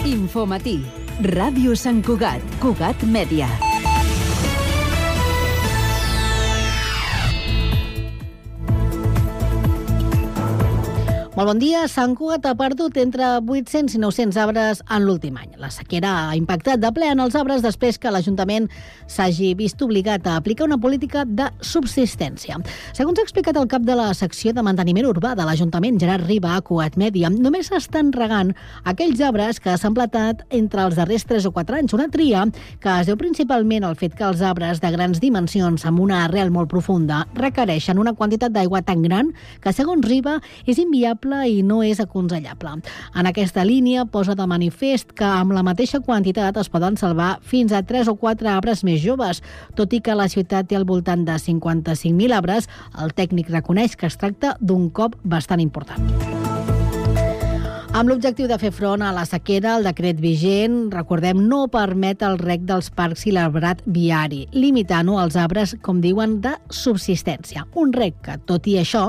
Infomatí. Ràdio Sant Cugat. Cugat Mèdia. Molt bon dia. Sant Cugat ha perdut entre 800 i 900 arbres en l'últim any. La sequera ha impactat de ple en els arbres després que l'Ajuntament s'hagi vist obligat a aplicar una política de subsistència. Segons ha explicat el cap de la secció de manteniment urbà de l'Ajuntament, Gerard Riba, a Cugat Mèdia, només s'estan regant aquells arbres que s'han plantat entre els darrers 3 o 4 anys. Una tria que es deu principalment al fet que els arbres de grans dimensions amb una arrel molt profunda requereixen una quantitat d'aigua tan gran que, segons Riba, és inviable i no és aconsellable. En aquesta línia posa de manifest que amb la mateixa quantitat es poden salvar fins a 3 o 4 arbres més joves. Tot i que la ciutat té al voltant de 55.000 arbres, el tècnic reconeix que es tracta d'un cop bastant important. Amb l'objectiu de fer front a la sequera, el decret vigent, recordem, no permet el rec dels parcs i l'arbrat viari, limitant-ho als arbres, com diuen, de subsistència. Un rec que, tot i això,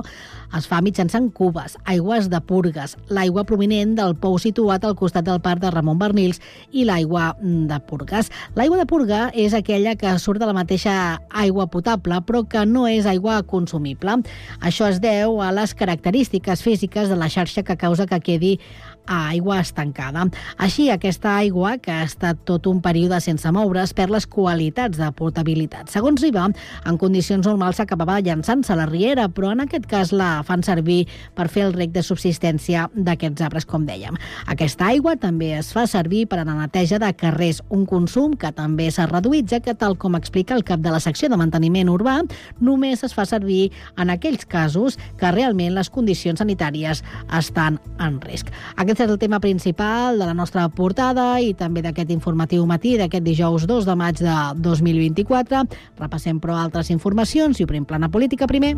es fa mitjançant cubes, aigües de purgues, l'aigua provinent del pou situat al costat del parc de Ramon Bernils i l'aigua de purgues. L'aigua de purga és aquella que surt de la mateixa aigua potable, però que no és aigua consumible. Això es deu a les característiques físiques de la xarxa que causa que quedi a aigua estancada. Així, aquesta aigua, que ha estat tot un període sense moure's, perd les qualitats de potabilitat. Segons Riba, en condicions normals s'acabava llançant-se a la riera, però en aquest cas la fan servir per fer el rec de subsistència d'aquests arbres, com dèiem. Aquesta aigua també es fa servir per a la neteja de carrers, un consum que també s'ha reduït, ja que, tal com explica el cap de la secció de manteniment urbà, només es fa servir en aquells casos que realment les condicions sanitàries estan en risc. Aquest és el tema principal de la nostra portada i també d'aquest informatiu matí d'aquest dijous 2 de maig de 2024. Repassem, però, altres informacions i obrim plana política primer.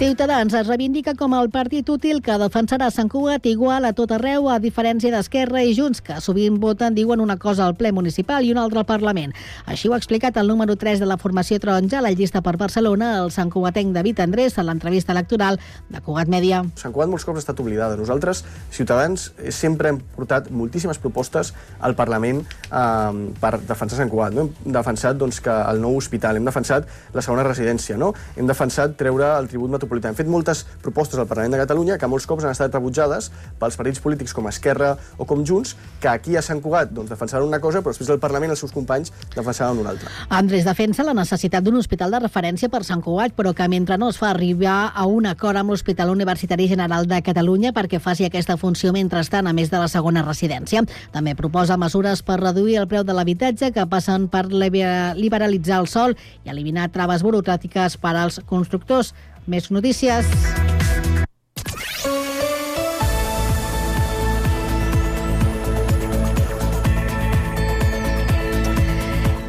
Ciutadans es reivindica com el partit útil que defensarà Sant Cugat igual a tot arreu, a diferència d'Esquerra i Junts, que sovint voten, diuen una cosa al ple municipal i una altra al Parlament. Així ho ha explicat el número 3 de la formació taronja, la llista per Barcelona, el santcugatenc David Andrés, a l'entrevista electoral de Cugat Mèdia. Sant Cugat molts cops ha estat oblidada. Nosaltres, Ciutadans, sempre hem portat moltíssimes propostes al Parlament per defensar Sant Cugat. No? Hem defensat que el nou hospital, hem defensat la segona residència, no? Hem defensat treure el tribut metropolità. Hem fet moltes propostes al Parlament de Catalunya que molts cops han estat rebutjades pels partits polítics com Esquerra o com Junts, que aquí a Sant Cugat defensaven una cosa, però després al Parlament els seus companys defensaven una altra. Andrés defensa la necessitat d'un hospital de referència per Sant Cugat, però que mentre no es fa arribar a un acord amb l'Hospital Universitari General de Catalunya perquè faci aquesta funció mentrestant, a més de la segona residència. També proposa mesures per reduir el preu de l'habitatge que passen per liberalitzar el sòl i eliminar traves burocràtiques per als constructors. Més notícies.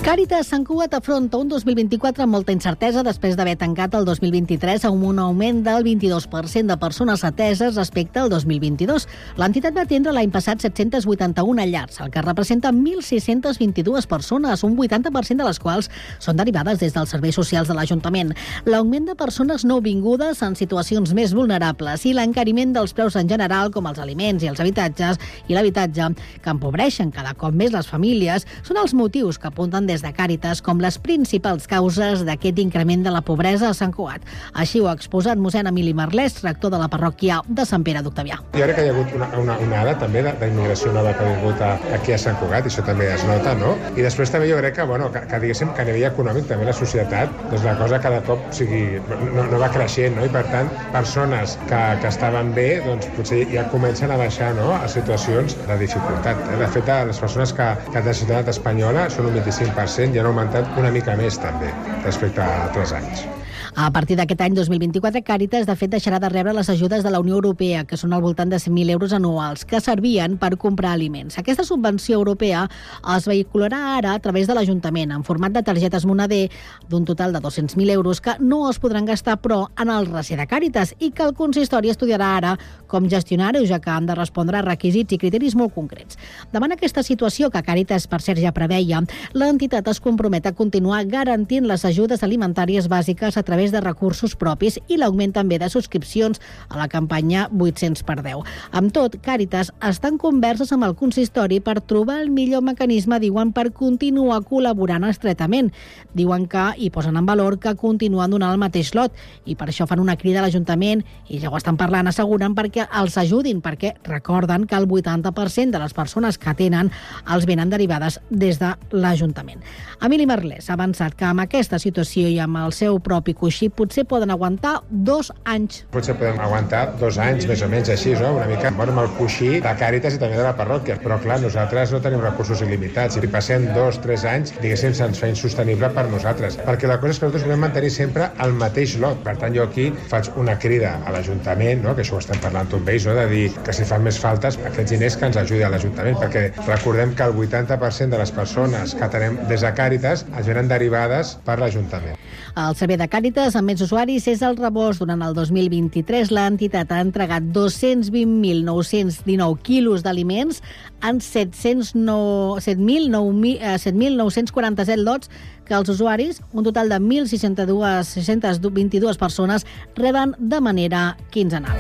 Càritas Sant Cugat afronta un 2024 amb molta incertesa després d'haver tancat el 2023 amb un augment del 22% de persones ateses respecte al 2022. L'entitat va atendre l'any passat 781 llars, el que representa 1.622 persones, un 80% de les quals són derivades des dels serveis socials de l'Ajuntament. L'augment de persones nouvingudes en situacions més vulnerables i l'encariment dels preus en general, com els aliments i els habitatges i l'habitatge, que empobreixen cada cop més les famílies, són els motius que apunten des de Càritas com les principals causes d'aquest increment de la pobresa a Sant Cugat. Així ho ha exposat mossèn Emili Marlès, rector de la parròquia de Sant Pere d'Octavià. Jo crec que hi ha hagut una onada també d'immigració nova que ha vingut aquí a Sant Cugat, i això també es nota, no? I després també jo crec que diguéssim que a nivell econòmic també la societat, la cosa cada cop no va creixent, no? I per tant, persones que estaven bé, potser ja comencen a baixar, no?, a situacions de dificultat. De fet, les persones que de la societat espanyola són un 25%, i han augmentat una mica més també respecte a altres anys. A partir d'aquest any 2024, Càritas, de fet, deixarà de rebre les ajudes de la Unió Europea, que són al voltant de 100.000 euros anuals, que servien per comprar aliments. Aquesta subvenció europea es vehicularà ara a través de l'Ajuntament, en format de targetes moneder, d'un total de 200.000 euros, que no es podran gastar, però, en el recer de Càritas, i que el consistori estudiarà ara com gestionar-ho, ja que han de respondre a requisits i criteris molt concrets. Davant aquesta situació, que Càritas, per cert, ja preveia, l'entitat es compromet a continuar garantint les ajudes alimentàries bàsiques a través través de recursos propis i l'augment també de subscripcions a la campanya 800x10. Amb tot, Càritas està en converses amb el consistori per trobar el millor mecanisme, diuen, per continuar col·laborant estretament. Diuen que hi posen en valor que continuen donant el mateix lot i per això fan una crida a l'Ajuntament i ja ho estan parlant, asseguren, perquè els ajudin, perquè recorden que el 80% de les persones que tenen els venen derivades des de l'Ajuntament. Emili Merlès ha avançat que amb aquesta situació i amb el seu propi coixí potser poden aguantar 2 anys. Potser podem aguantar 2 anys, més o menys així, no? Una mica amb el coixí de Càritas i també de la parròquia. Però clar, nosaltres no tenim recursos il·limitats. Si passem 2-3 anys, diguéssim, se'ns fa insostenible per nosaltres. Perquè la cosa és que nosaltres volem mantenir sempre el mateix lot. Per tant, jo aquí faig una crida a l'Ajuntament, no? Que això ho estem parlant amb ells, no? De dir que si fan més faltes, aquests diners que ens ajudi a l'Ajuntament, perquè recordem que el 80% de les persones que tenem des de Càritas es venen derivades per l'Ajuntament. El servei de Càritas amb més usuaris és el rebost. Durant el 2023, l'entitat ha entregat 220.919 quilos d'aliments en 7.947 lots que els usuaris, un total de 1.622 persones, reben de manera quinzenal.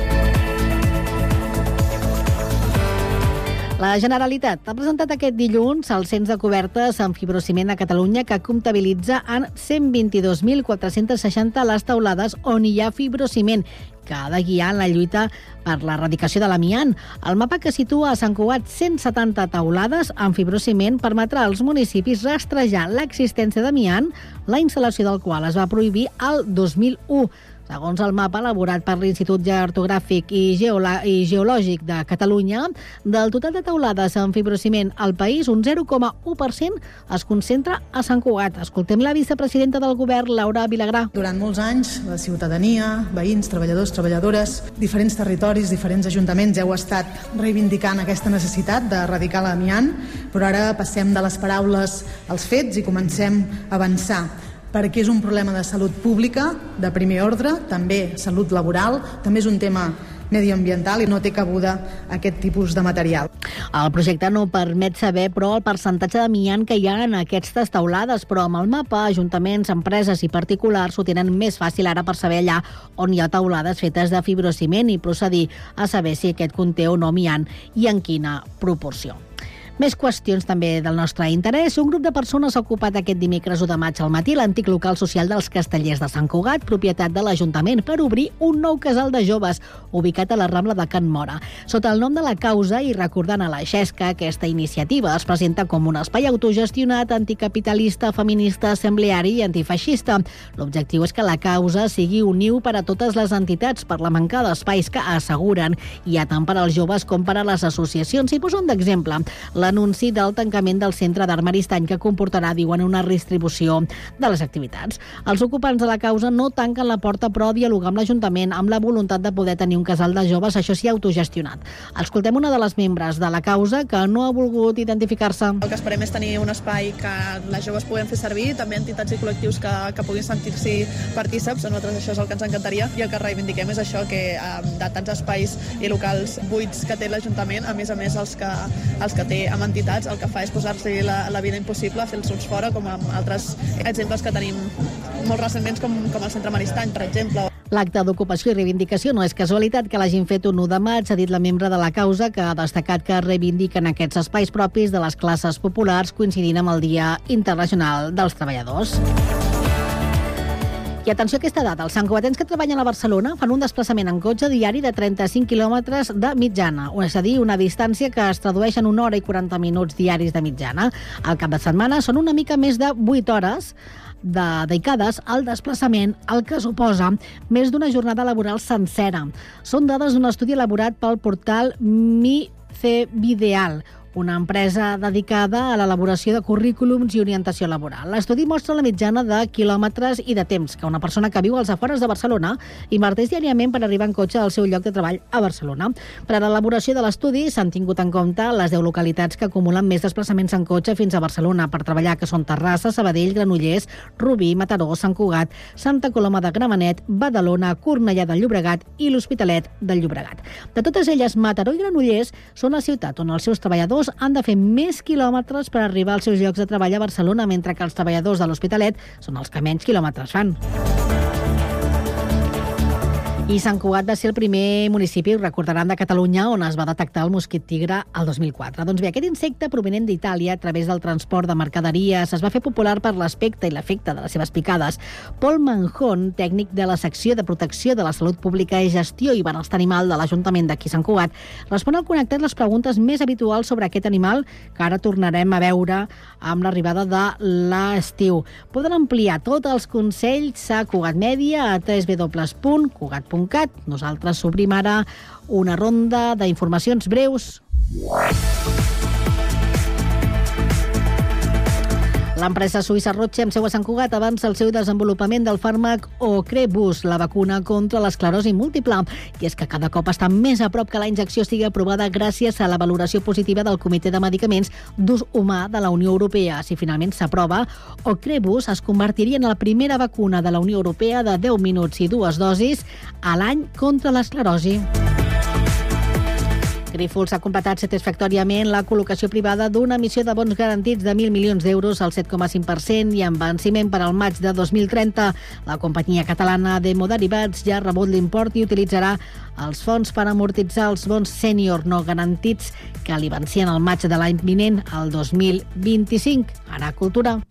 La Generalitat ha presentat aquest dilluns el cens de cobertes amb fibrociment a Catalunya, que comptabilitza en 122.460 les teulades on hi ha fibrociment, que ha de guiar en la lluita per l'erradicació de l'amiant. El mapa, que situa a Sant Cugat 170 teulades amb fibrociment, permetrà als municipis rastrejar l'existència d'amiant, la instal·lació del qual es va prohibir el 2001. Segons el mapa elaborat per l'Institut Cartogràfic i Geològic de Catalunya, del total de teulades amb fibrociment al país, un 0,1% es concentra a Sant Cugat. Escoltem la vicepresidenta del Govern, Laura Vilagrà. Durant molts anys, la ciutadania, veïns, treballadors, treballadores, diferents territoris, diferents ajuntaments heu estat reivindicant aquesta necessitat d'erradicar l'amiant, però ara passem de les paraules als fets i comencem a avançar, perquè és un problema de salut pública de primer ordre, també salut laboral, també és un tema mediambiental i no té cabuda aquest tipus de material. El projecte no permet saber, però, el percentatge d'amiant que hi ha en aquestes teulades, però amb el mapa, ajuntaments, empreses i particulars ho tenen més fàcil ara per saber allà on hi ha teulades fetes de fibrociment i procedir a saber si aquest conté o no amiant i en quina proporció. Més qüestions també del nostre interès. Un grup de persones ha ocupat aquest dimecres 1 de maig al matí l'antic local social dels Castellers de Sant Cugat, propietat de l'Ajuntament, per obrir un nou casal de joves ubicat a la Rambla de Can Móra. Sota el nom de La Causa i recordant a la Xesca, aquesta iniciativa es presenta com un espai autogestionat, anticapitalista, feminista, assembleari i antifeixista. L'objectiu és que La Causa sigui un niu per a totes les entitats per la manca d'espais que asseguren hi ha tant per als joves com per a les associacions. I poso un d'exemple, l'anunci del tancament del centre d'Art Maristany, que comportarà, diuen, una redistribució de les activitats. Els ocupants de La Causa no tanquen la porta, però dialogar amb l'Ajuntament amb la voluntat de poder tenir un casal de joves, això sí, autogestionat. Escoltem una de les membres de La Causa que no ha volgut identificar-se. El que esperem és tenir un espai que les joves puguem fer servir, també entitats i col·lectius que puguin sentir-s'hi partíceps. A nosaltres això és el que ens encantaria i el que reivindiquem és això, que de tants espais i locals buits que té l'Ajuntament, a més els que té amb entitats, el que fa és posar-se la vida impossible, fer-los fora, com amb altres exemples que tenim molt recentment, com el centre Maristany, per exemple. L'acte d'ocupació i reivindicació no és casualitat que l'hagin fet un 1 de maig, ha dit la membre de La Causa, que ha destacat que reivindiquen aquests espais propis de les classes populars, coincidint amb el Dia Internacional dels Treballadors. I atenció a aquesta data, els santcugatens que treballen a Barcelona fan un desplaçament en cotxe diari de 35 quilòmetres de mitjana, és a dir, una distància que es tradueix en 1 hora i 40 minuts diaris de mitjana. Al cap de setmana són una mica més de 8 hores dedicades al desplaçament, el que suposa més d'una jornada laboral sencera. Són dades d'un estudi elaborat pel portal MiCevideal, una empresa dedicada a l'elaboració de currículums i orientació laboral. L'estudi mostra la mitjana de quilòmetres i de temps que una persona que viu als afores de Barcelona inverteix diàriament per arribar en cotxe al seu lloc de treball a Barcelona. Per a l'elaboració de l'estudi s'han tingut en compte les 10 localitats que acumulen més desplaçaments en cotxe fins a Barcelona per treballar, que són Terrassa, Sabadell, Granollers, Rubí, Mataró, Sant Cugat, Santa Coloma de Gramenet, Badalona, Cornellà de Llobregat i l'Hospitalet del Llobregat. De totes elles, Mataró i Granollers són la ciutat on els seus treballadors han de fer més quilòmetres per arribar als seus llocs de treball a Barcelona, mentre que els treballadors de l'Hospitalet són els que menys quilòmetres fan. I Sant Cugat va ser el primer municipi, ho recordaran, de Catalunya on es va detectar el mosquit tigre el 2004. Doncs bé, aquest insecte provinent d'Itàlia a través del transport de mercaderies es va fer popular per l'aspecte i l'efecte de les seves picades. Paul Manjón, tècnic de la secció de protecció de la salut pública i gestió i benestar animal de l'Ajuntament d'aquí Sant Cugat, respon al Connectat les preguntes més habituals sobre aquest animal que ara tornarem a veure amb l'arribada de l'estiu. Poden ampliar tots els consells a Cugat Mèdia a www.cugat.cat. Nosaltres obrim ara una ronda d'informacions breus. L'empresa suïssa Roche, amb seu a Sant Cugat, avança el seu desenvolupament del fàrmac Ocrevus, la vacuna contra l'esclerosi múltiple. I és que cada cop està més a prop que la injecció estigui aprovada gràcies a la valoració positiva del Comitè de Medicaments d'Ús Humà de la Unió Europea. Si finalment s'aprova, Ocrevus es convertiria en la primera vacuna de la Unió Europea de 10 minuts i 2 dosis a l'any contra l'esclerosi. Grífols ha completat satisfactòriament la col·locació privada d'una emissió de bons garantits de 1.000 milions d'euros al 7,5% i amb venciment per al maig de 2030. La companyia catalana de Derivats ja ha rebut l'import i utilitzarà els fons per amortitzar els bons sènior no garantits que li vencien al maig de l'any vinent, el 2025. Ara Cultura.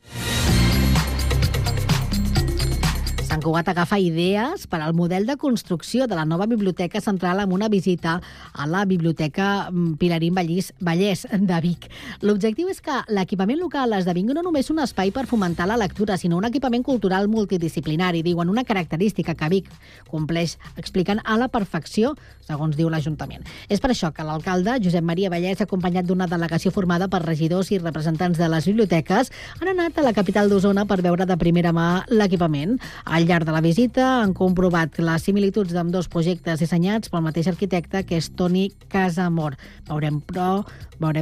Sant Cugat agafa idees per al model de construcció de la nova Biblioteca Central amb una visita a la Biblioteca Pilarín Vallès de Vic. L'objectiu és que l'equipament local esdevingui no només un espai per fomentar la lectura, sinó un equipament cultural multidisciplinari, diuen, una característica que Vic compleix, expliquen, a la perfecció, segons diu l'Ajuntament. És per això que l'alcalde, Josep Maria Vallès, acompanyat d'una delegació formada per regidors i representants de les biblioteques, han anat a la capital d'Osona per veure de primera mà l'equipament. Al llarg de la visita han comprovat les similituds d'ambdós projectes dissenyats pel mateix arquitecte, que és Toni Casamor. Veurem,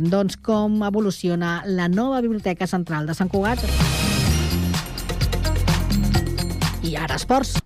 doncs, com evoluciona la nova Biblioteca Central de Sant Cugat. I ara esports.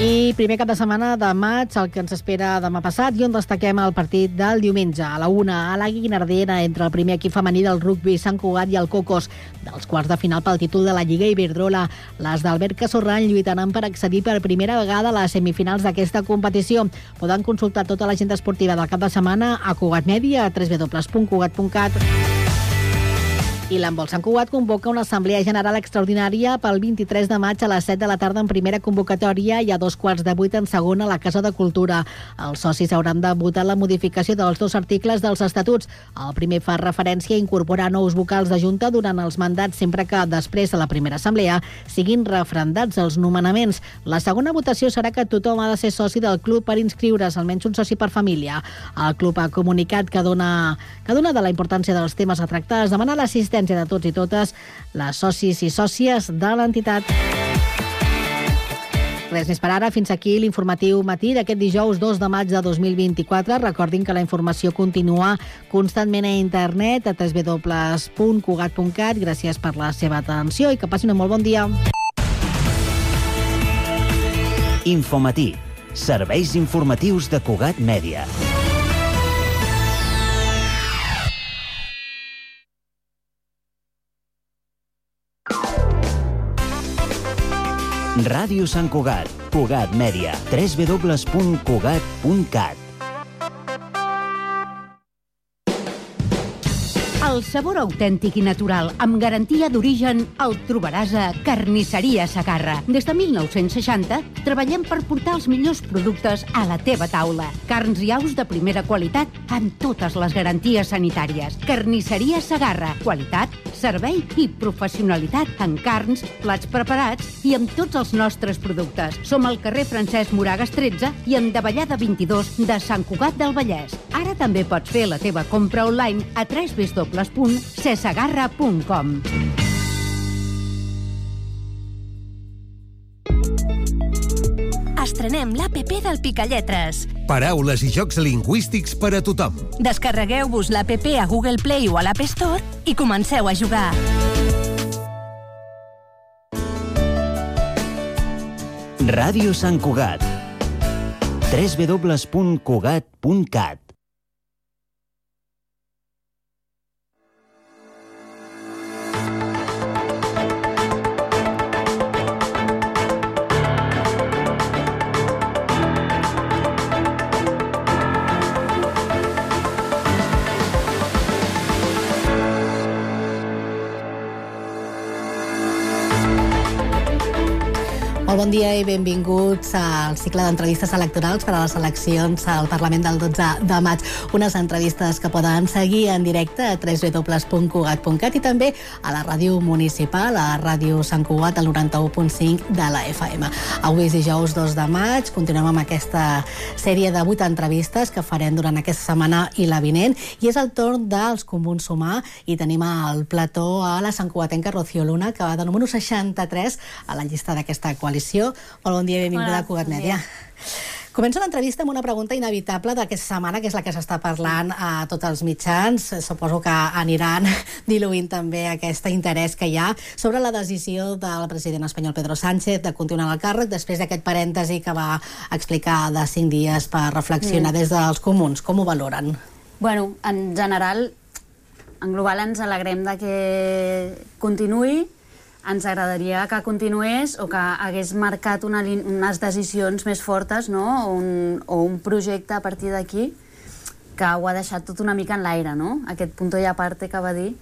I primer cap de setmana de maig, el que ens espera demà passat, i on destaquem el partit del diumenge a la 1 a la Guinardena entre el primer equip femení del rugbi Sant Cugat i el Cocos dels quarts de final pel títol de la Lliga Iberdrola. Les d'Albert Casorran lluitaran per accedir per primera vegada a les semifinals d'aquesta competició. Poden consultar tota l'agenda esportiva del cap de setmana a Cugat Mèdia, a www.cugat.cat. I l'handbol Sant Cugat convoca una assemblea general extraordinària pel 23 de maig a les 7 de la tarda en primera convocatòria i a 7:15 en segona a la Casa de Cultura. Els socis hauran de votar la modificació dels 2 articles dels estatuts. El primer fa referència a incorporar nous vocals de junta durant els mandats sempre que després de la primera assemblea siguin refrendats els nomenaments. La segona votació serà que tothom ha de ser soci del club per inscriure's, almenys un soci per família. El club ha comunicat que dona de la importància dels temes a tractar, es demana l'assistència de tots i totes les socis i sòcies de l'entitat. Res més per ara. Fins aquí l'informatiu matí d'aquest dijous 2 de maig de 2024. Recordin que la informació continua constantment a internet a www.cugat.cat. Gràcies per la seva atenció i que passin un molt bon dia. Infomatí. Serveis informatius de Cugat Mèdia. Ràdio Sant Cugat, Cugat Mèdia, www.cugat.cat. El sabor autèntic i natural, amb garantia d'origen, el trobaràs a Carnisseria Segarra. Des de 1960 treballem per portar els millors productes a la teva taula. Carns i aus de primera qualitat amb totes les garanties sanitàries. Carnisseria Segarra. Qualitat, servei i professionalitat en carns, plats preparats i amb tots els nostres productes. Som al carrer Francesc Moragas 13 i en Davallada 22 de Sant Cugat del Vallès. Ara també pots fer la teva compra online a www.cesegarra.com. Estrenem l'APP del Picalletres. Paraules i jocs lingüístics per a tothom. Descarregueu-vos l'APP a Google Play o a l'App Store i comenceu a jugar. Ràdio Sant Cugat. www.cugat.cat. Molt bon dia i benvinguts al cicle d'entrevistes electorals per a les eleccions al Parlament del 12 de maig. Unes entrevistes que poden seguir en directe a www.cugat.cat i també a la ràdio municipal, a Ràdio Sant Cugat, al 91.5 de la FM. Avui és dijous 2 de maig, continuem amb aquesta sèrie de 8 entrevistes que farem durant aquesta setmana i la vinent, i és el torn dels Comuns Sumar, i tenim al plató a la santcugatenca Rocío Luna, que va de número 63 a la llista d'aquesta coalició. Molt bon dia i benvinguda a Cugat Mèdia. Començo l'entrevista amb una pregunta inevitable d'aquesta setmana, que és la que s'està parlant a tots els mitjans. Suposo que aniran diluint també aquest interès que hi ha sobre la decisió del president espanyol Pedro Sánchez de continuar al càrrec després d'aquest parèntesi que va explicar de 5 dies per reflexionar des dels Comuns. Com ho valoren? Bueno, en general, en global ens alegrem de que continuï. Ens agradaria que continués o que hagués marcat unes decisions més fortes, no? o un projecte a partir d'aquí que ho ha deixat tot una mica en l'aire, no? Aquest punto i aparte que va dir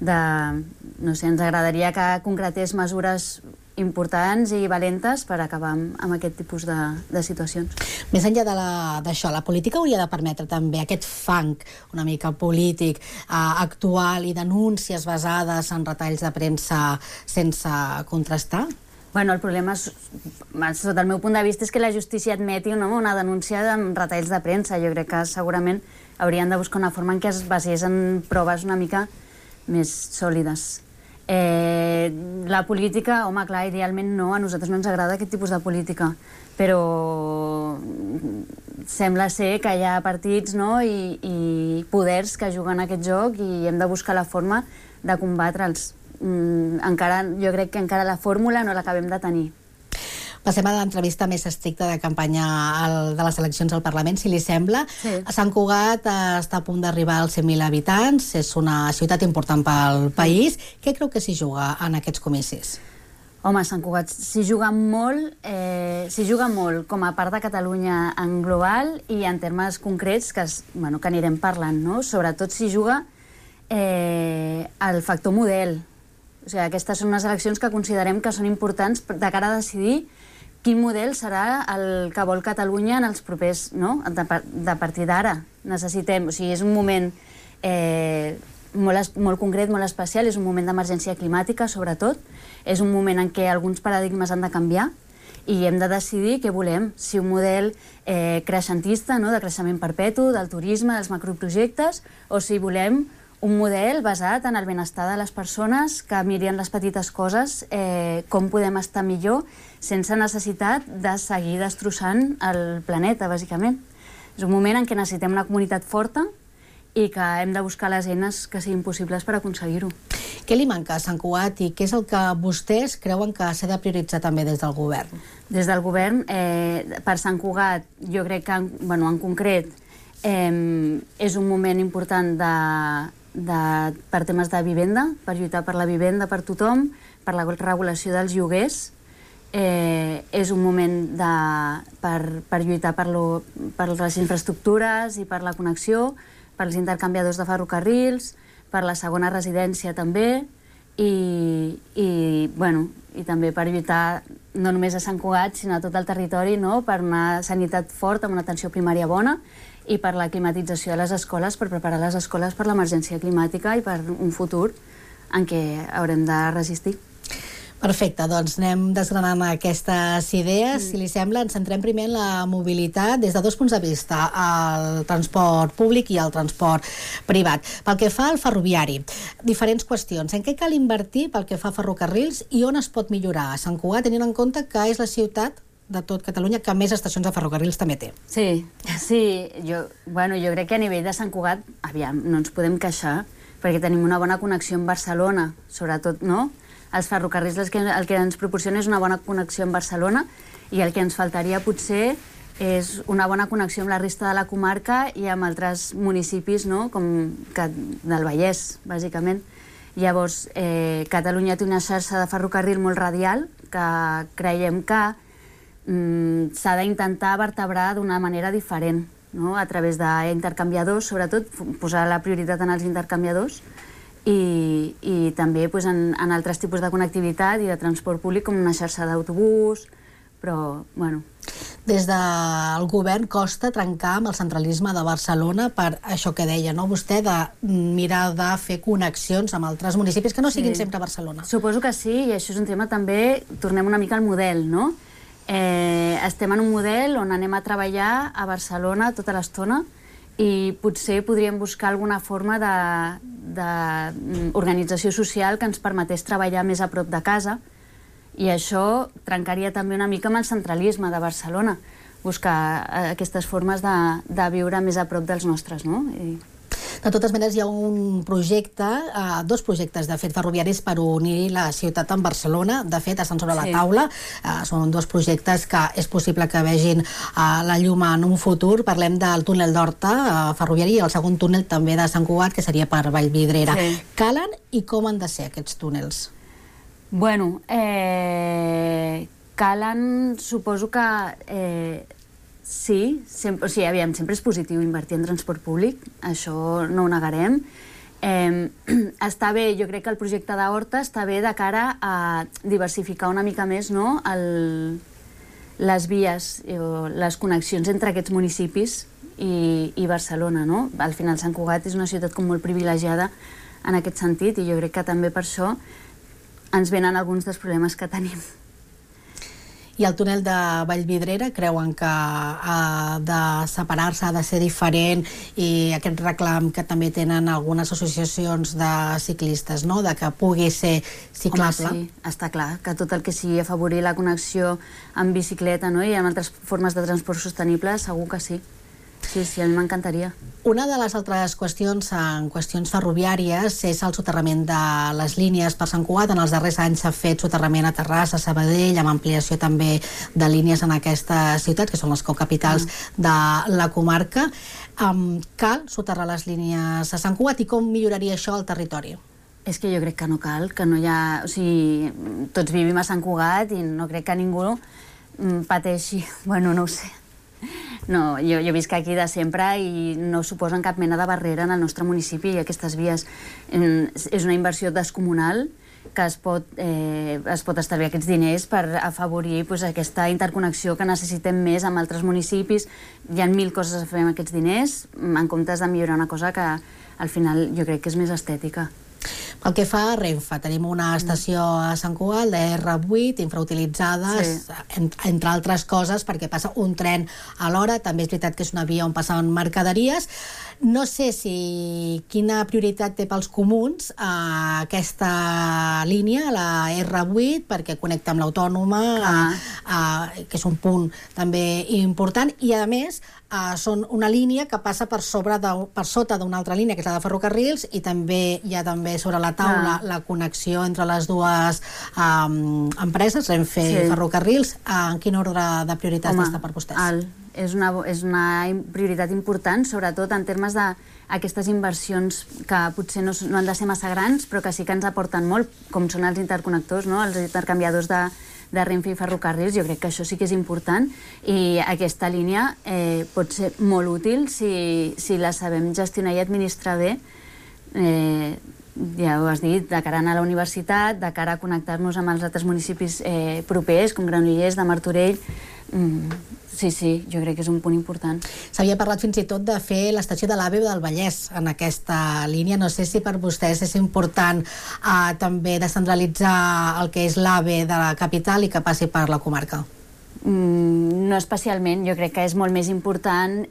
no sé, ens agradaria que concretés mesures importants i valentes per acabar amb aquest tipus de situacions. Més enllà d'això, la política hauria de permetre també aquest fang una mica polític actual i denúncies basades en retalls de premsa sense contrastar? Bueno, el problema, sota el meu punt de vista, és que la justícia admeti una denúncia amb retalls de premsa. Jo crec que segurament haurien de buscar una forma en què es basés en proves una mica més sòlides. La política, home, clar, idealment no, a nosaltres no ens agrada aquest tipus de política, però sembla ser que hi ha partits, no, i poders que juguen a aquest joc i hem de buscar la forma de combatre'ls. Jo crec que encara la fórmula no l'acabem de tenir. Passem a l'entrevista més estricta de campanya de les eleccions al Parlament, si li sembla. Sí. Sant Cugat està a punt d'arribar als 100.000 habitants, és una ciutat important pel país. Què creu que s'hi juga en aquests comicis? Home, Sant Cugat s'hi juga molt com a part de Catalunya en global i en termes concrets que anirem parlant, no? Sobretot s'hi juga el factor model. O sigui, aquestes són unes eleccions que considerem que són importants de cara a decidir quin model serà el que vol Catalunya en els propers, no? De partir d'ara. Necessitem, o sigui, és un moment molt concret, molt especial, és un moment d'emergència climàtica, sobretot. És un moment en què alguns paradigmes han de canviar i hem de decidir què volem. Si un model creixentista, no? De creixement perpetu, del turisme, dels macroprojectes, o si volem un model basat en el benestar de les persones que mirin les petites coses, com podem estar millor sense necessitat de seguir destrossant el planeta, bàsicament. És un moment en què necessitem una comunitat forta i que hem de buscar les eines que siguin possibles per aconseguir-ho. Què li manca a Sant Cugat i què és el que vostès creuen que s'ha de prioritzar també des del govern? Des del govern, per Sant Cugat, jo crec que, en concret, és un moment important per temes de vivenda, per lluitar per la vivenda per tothom, per la regulació dels lloguers. És un moment per lluitar per les infraestructures i per la connexió, per als intercanviadors de ferrocarrils, per la segona residència també, i també per lluitar no només a Sant Cugat, sinó a tot el territori, no? Per una sanitat forta, amb una atenció primària bona, i per la climatització de les escoles, per preparar les escoles per l'emergència climàtica i per un futur en què haurem de resistir. Perfecte, doncs anem desgranant aquestes idees. Si li sembla, ens centrem primer en la mobilitat des de dos punts de vista, el transport públic i el transport privat. Pel que fa al ferroviari, diferents qüestions. En què cal invertir pel que fa a ferrocarrils i on es pot millorar a Sant Cugat, tenint en compte que és la ciutat de tot Catalunya que més estacions de ferrocarrils també té? Sí. Jo crec que a nivell de Sant Cugat, no ens podem queixar, perquè tenim una bona connexió amb Barcelona, sobretot, no? Els ferrocarrils el que ens proporciona és una bona connexió amb Barcelona i el que ens faltaria potser és una bona connexió amb la resta de la comarca i amb altres municipis, no? Com del Vallès, bàsicament. Llavors, Catalunya té una xarxa de ferrocarril molt radial que creiem que s'ha d'intentar vertebrar d'una manera diferent, no? A través d'intercanviadors, sobretot posar la prioritat en els intercanviadors i també en altres tipus de connectivitat i de transport públic com una xarxa d'autobús, però, bueno... Des del govern costa trencar amb el centralisme de Barcelona per això que deia, no? Vostè, de mirar de fer connexions amb altres municipis que no siguin sempre Barcelona. Suposo que sí, i això és un tema també, tornem una mica al model, no? Estem en un model on anem a treballar a Barcelona tota l'estona i potser podríem buscar alguna forma d'organització social que ens permetés treballar més a prop de casa, i això trencaria també una mica amb el centralisme de Barcelona, buscar aquestes formes de viure més a prop dels nostres, no? De totes maneres, hi ha un projecte, dos projectes, de fet, ferroviaris per unir la ciutat amb Barcelona. De fet, estan sobre la taula. Són dos projectes que és possible que vegin la llum en un futur. Parlem del túnel d'Horta ferroviari i el segon túnel també de Sant Cugat, que seria per Vallvidrera. Calen i com han de ser aquests túnels? Bueno, calen, suposo que sí, sempre és positiu invertir en transport públic, això no ho negarem. Està bé, jo crec que el projecte d'Horta està bé de cara a diversificar una mica més, no?, les vies, les connexions entre aquests municipis i Barcelona, no? Al final Sant Cugat és una ciutat com molt privilegiada en aquest sentit, i jo crec que també per això ens venen alguns dels problemes que tenim. I el túnel de Vallvidrera creuen que ha de separar-se, ha de ser diferent, i aquest reclam que també tenen algunes associacions de ciclistes, no?, de que pugui ser ciclable. Home, sí, està clar, que tot el que sigui afavorir la connexió amb bicicleta, no?, i amb altres formes de transport sostenible, segur que sí. Sí, a mi m'encantaria. Una de les altres qüestions, en qüestions ferroviàries, és el soterrament de les línies per Sant Cugat. En els darrers anys s'ha fet soterrament a Terrassa, a Sabadell, amb ampliació també de línies en aquesta ciutat, que són les cocapitals de la comarca. Cal soterrar les línies a Sant Cugat, i com milloraria això al territori? És que jo crec que no cal, que no hi ha... O sigui, tots vivim a Sant Cugat i no crec que ningú pateixi. Bueno, no ho sé. No, jo visc aquí de sempre i no suposen cap mena de barrera en el nostre municipi, i aquestes vies. És una inversió descomunal que es pot estalviar aquests diners per afavorir aquesta interconnexió que necessitem més amb altres municipis. Hi ha 1000 coses a fer amb aquests diners, en comptes de millorar una cosa que al final jo crec que és més estètica. Pel que fa a Renfe, tenim una estació a Sant Cugat, la R8, infrautilitzada, entre altres coses, perquè passa un tren a l'hora. També és veritat que és una via on passen mercaderies. No sé quina prioritat té pels comuns aquesta línia, la R8, perquè connecta amb l'Autònoma, que és un punt també important, i a més són una línia que passa per sota d'una altra línia, que és la de ferrocarrils, i també hi ha sobre la taula la connexió entre les dues empreses, Renfe i Ferrocarrils. En quin ordre de prioritats està per vostès? És una prioritat important, sobretot en termes d'aquestes inversions que potser no han de ser massa grans, però que sí que ens aporten molt, com són els interconnectors, els intercanviadors de Renfe i Ferrocarrils. Jo crec que això sí que és important, i aquesta línia pot ser molt útil si la sabem gestionar i administrar bé. Ja ho has dit, de cara a anar a la universitat, de cara a connectar-nos amb els altres municipis propers, com Granollers, de Martorell. Sí, jo crec que és un punt important. S'havia parlat fins i tot de fer l'estació de l'AVE del Vallès en aquesta línia. No sé si per vostès és important també descentralitzar el que és l'AVE de la capital i que passi per la comarca. No especialment, jo crec que és molt més important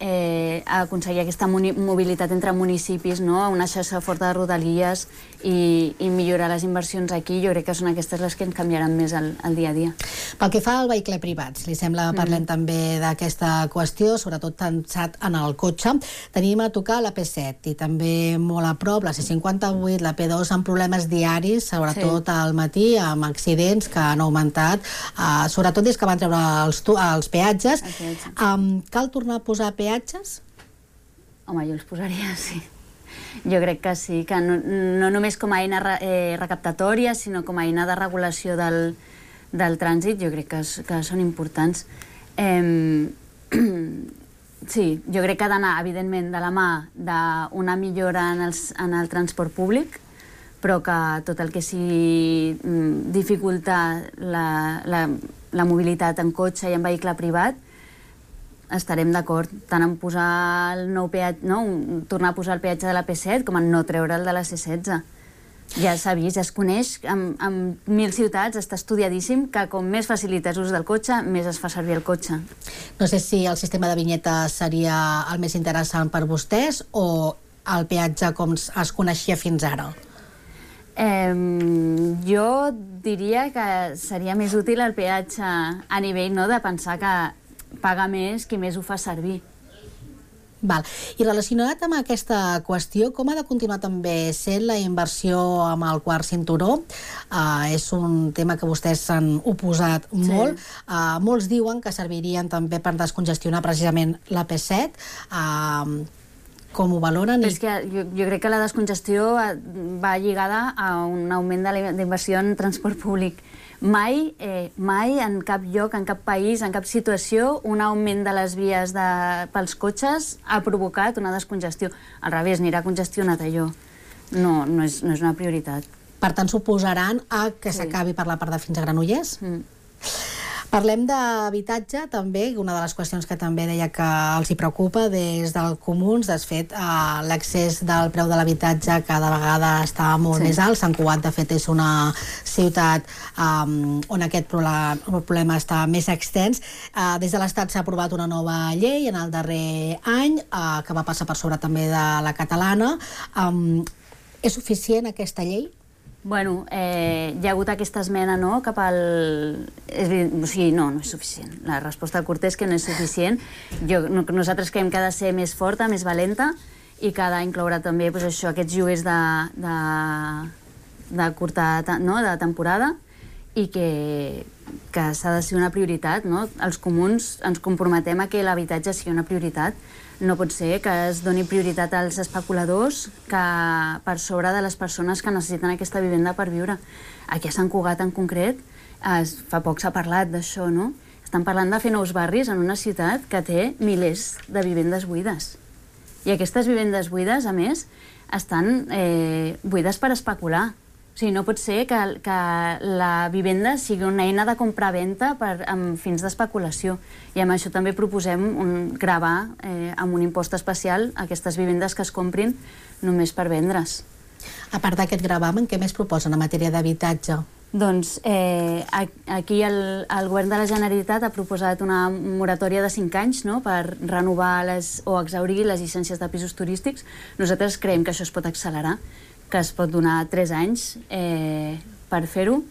aconseguir aquesta mobilitat entre municipis, una xarxa forta de rodalies, i millorar les inversions aquí. Jo crec que són aquestes les que ens canviaran més el dia a dia. Pel que fa al vehicle privat, li sembla que parlem també d'aquesta qüestió, sobretot pensat en el cotxe. Tenim a tocar la P7 i també molt a prop la C58, la P2, amb problemes diaris, sobretot al matí, amb accidents que han augmentat, sobretot des que van treure els peatges. Cal tornar a posar peatges? Home, jo els posaria, sí. Jo crec que sí, que no només com a eina recaptatòria, sinó com a eina de regulació del trànsit, jo crec que són importants. Sí, jo crec que ha d'anar, evidentment, de la mà d'una millora en el transport públic, però que tot el que sigui dificultar la mobilitat en cotxe i en vehicle privat, estarem d'acord tant en posar el nou peatge, no? Tornar a posar el peatge de la P7 com en no treure el de la C16. Ja s'ha vist, ja es coneix, en 1.000 ciutats està estudiadíssim que com més facilites l'ús del cotxe, més es fa servir el cotxe. No sé si el sistema de vinyetes seria el més interessant per vostès o el peatge com es coneixia fins ara? Jo diria que seria més útil el peatge a nivell de pensar que paga més qui més ho fa servir. Val. I relacionat amb aquesta qüestió, com ha de continuar també sent la inversió amb el quart cinturó? És un tema que vostès s'han oposat molt. Molts diuen que servirien també per descongestionar precisament la P7. Com ho valoren? És que jo crec que la descongestió va lligada a un augment de la inversió en transport públic. Mai en cap lloc, en cap país, en cap situació, un augment de les vies pels cotxes ha provocat una descongestió. Al revés, anirà congestionat allò. No és una prioritat. Per tant, s'oposaran a que s'acabi per la part de fins a Granollers? Parlem d'habitatge, també, una de les qüestions que també deia que els hi preocupa des del Comuns. De fet, l'accés del preu de l'habitatge cada vegada està molt més alt. Sant Cugat, de fet, és una ciutat on aquest problema està més extens. Des de l'Estat s'ha aprovat una nova llei en el darrer any, que va passar per sobre també de la catalana. És suficient aquesta llei? Bueno, hi ha hagut aquesta esmena, no?, cap al... O sigui, no és suficient. La resposta curta és que no és suficient. Nosaltres creiem que ha de ser més forta, més valenta, i que ha d'incloure també aquests lloguers de curta temporada, i que s'ha de ser una prioritat, no? Els comuns ens comprometem a que l'habitatge sigui una prioritat. No pot ser que es doni prioritat als especuladors per sobre de les persones que necessiten aquesta vivenda per viure. Aquí a Sant Cugat, en concret, fa poc s'ha parlat d'això, no? Estan parlant de fer nous barris en una ciutat que té milers de vivendes buides. I aquestes vivendes buides, a més, estan buides per especular. O sigui, no pot ser que la vivenda sigui una eina de compra-venda amb fins d'especulació. I amb això també proposem gravar amb un impost especial aquestes vivendes que es comprin només per vendre's. A part d'aquest gravamen, què més proposen en matèria d'habitatge? Doncs aquí el govern de la Generalitat ha proposat una moratòria de 5 anys per renovar o exhaurir les llicències de pisos turístics. Nosaltres creiem que això es pot accelerar, que es pot donar 3 anys per fer-ho,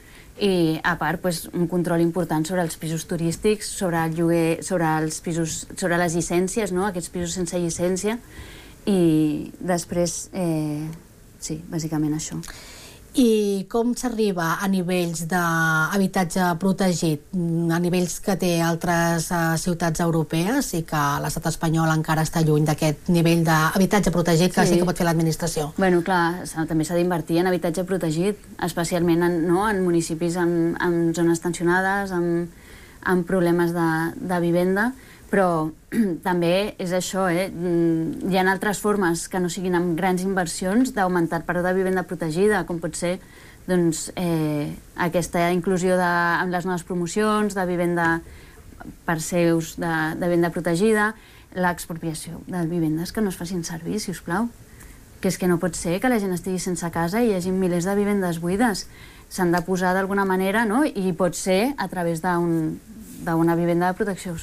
i a part un control important sobre els pisos turístics, sobre el lloguer, sobre les llicències, aquests pisos sense llicència, i després, sí, bàsicament això. I com s'arriba a nivells d'habitatge protegit, a nivells que té altres ciutats europees i que l'estat espanyol encara està lluny d'aquest nivell d'habitatge protegit que sí que pot fer l'administració? Bueno, clar, també s'ha d'invertir en habitatge protegit, especialment en municipis en zones tensionades, amb problemes de vivenda, però també és això, hi ha altres formes que no siguin amb grans inversions d'augmentar el preu de vivenda protegida, com pot ser aquesta inclusió amb les noves promocions de vivenda per ser ús de venda protegida, l'expropiació de vivendes que no es facin servir, si us plau. Que és que no pot ser que la gent estigui sense casa i hi hagi milers de vivendes buides. S'han de posar d'alguna manera, no?, i pot ser a través d'una vivenda de protecció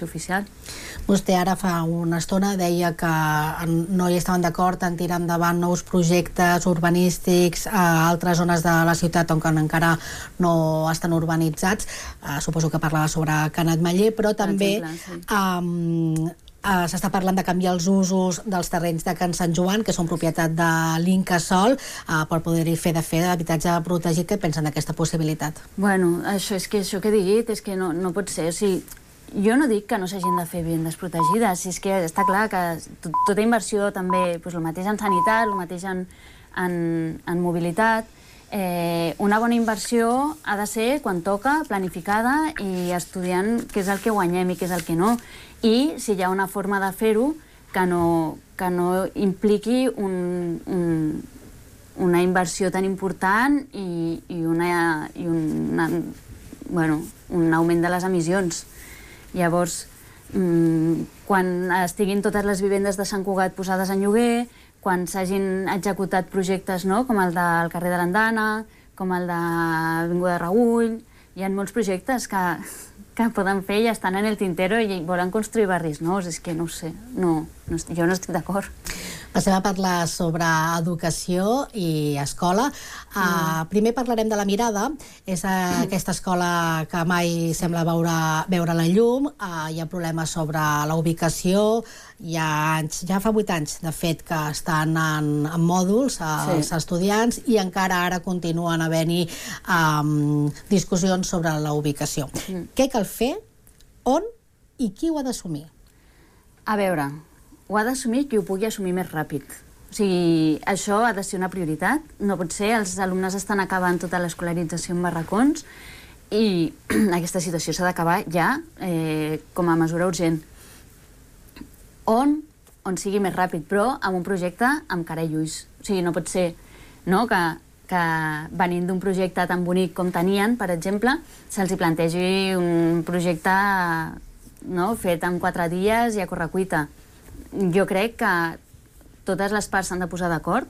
oficial. Vostè ara fa una estona deia que no hi estaven d'acord en tirar endavant nous projectes urbanístics a altres zones de la ciutat on encara no estan urbanitzats. Suposo que parlava sobre Canet Maller, però també s'està parlant de canviar els usos dels terrenys de Can Sant Joan, que són propietat de l'Incasòl, per poder-hi fer d'habitatge protegit. Què pensen d'aquesta possibilitat? Bueno, això que he dit és que no pot ser. O sigui, jo no dic que no s'hagin de fer vivendes protegides, és que està clar que tota inversió també, el mateix en sanitat, el mateix en mobilitat, una bona inversió ha de ser, quan toca, planificada i estudiant què és el que guanyem i què és el que no. I si hi ha una forma de fer-ho que no impliqui una inversió tan important i un augment de les emissions. Llavors, quan estiguin totes les vivendes de Sant Cugat posades en lloguer, quan s'hagin executat projectes com el del carrer de l'Andana, com el de l'Avinguda de Raüll, hi ha molts projectes que poden fer i estan en el tintero i volen construir barris nous. És que no ho sé, jo no estic d'acord. Passem a parlar sobre educació i escola. Primer parlarem de La Mirada. És aquesta escola que mai sembla veure la llum. Hi ha problemes sobre la ubicació. Ja fa 8 anys, de fet, que estan en mòduls els estudiants i encara ara continuen havent-hi discussions sobre la ubicació. Què cal fer? On? I qui ho ha d'assumir? A veure, ho ha d'assumir qui ho pugui assumir més ràpid. O sigui, això ha de ser una prioritat. No pot ser, els alumnes estan acabant tota l'escolarització en barracons i aquesta situació s'ha d'acabar ja com a mesura urgent. On sigui més ràpid, però amb un projecte amb cara i ulls. O sigui, no pot ser que venint d'un projecte tan bonic com tenien, per exemple, se'ls plantegi un projecte fet en 4 dies i a correcuita. Jo crec que totes les parts s'han de posar d'acord,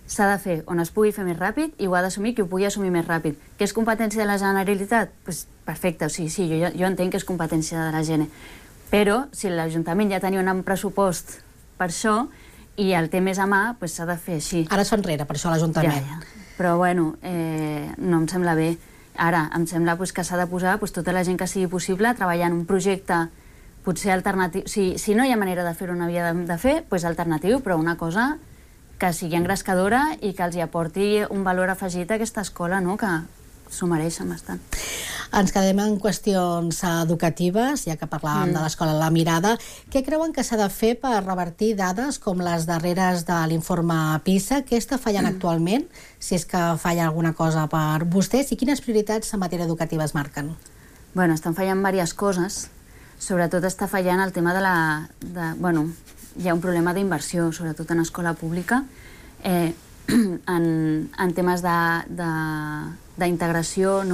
s'ha de fer on es pugui fer més ràpid i ho ha d'assumir qui ho pugui assumir més ràpid. Que és competència de la Generalitat? Doncs perfecte, o sigui, sí, jo entenc que és competència de la Gene. Però si l'Ajuntament ja tenia un pressupost per això i el té més a mà, doncs s'ha de fer així. Ara s'ho enrere, per això l'Ajuntament. Ja. Però bueno, no em sembla bé. Ara, em sembla que s'ha de posar tota la gent que sigui possible treballant un projecte potser alternatiu. Si no hi ha manera de fer-ho on havia de fer, doncs alternatiu, però una cosa que sigui engrescadora i que els hi aporti un valor afegit a aquesta escola, que s'ho mereixen bastant. Ens quedem en qüestions educatives, ja que parlàvem de l'escola La Mirada. Què creuen que s'ha de fer per revertir dades com les darreres de l'informe PISA? Què està fallant actualment, si és que falla alguna cosa per vostès, i quines prioritats en matèria educativa es marquen? Bueno, estan fallant diverses coses. Sobretot està fallant el tema hi ha un problema d'inversió, sobretot en escola pública, en temes d'integració,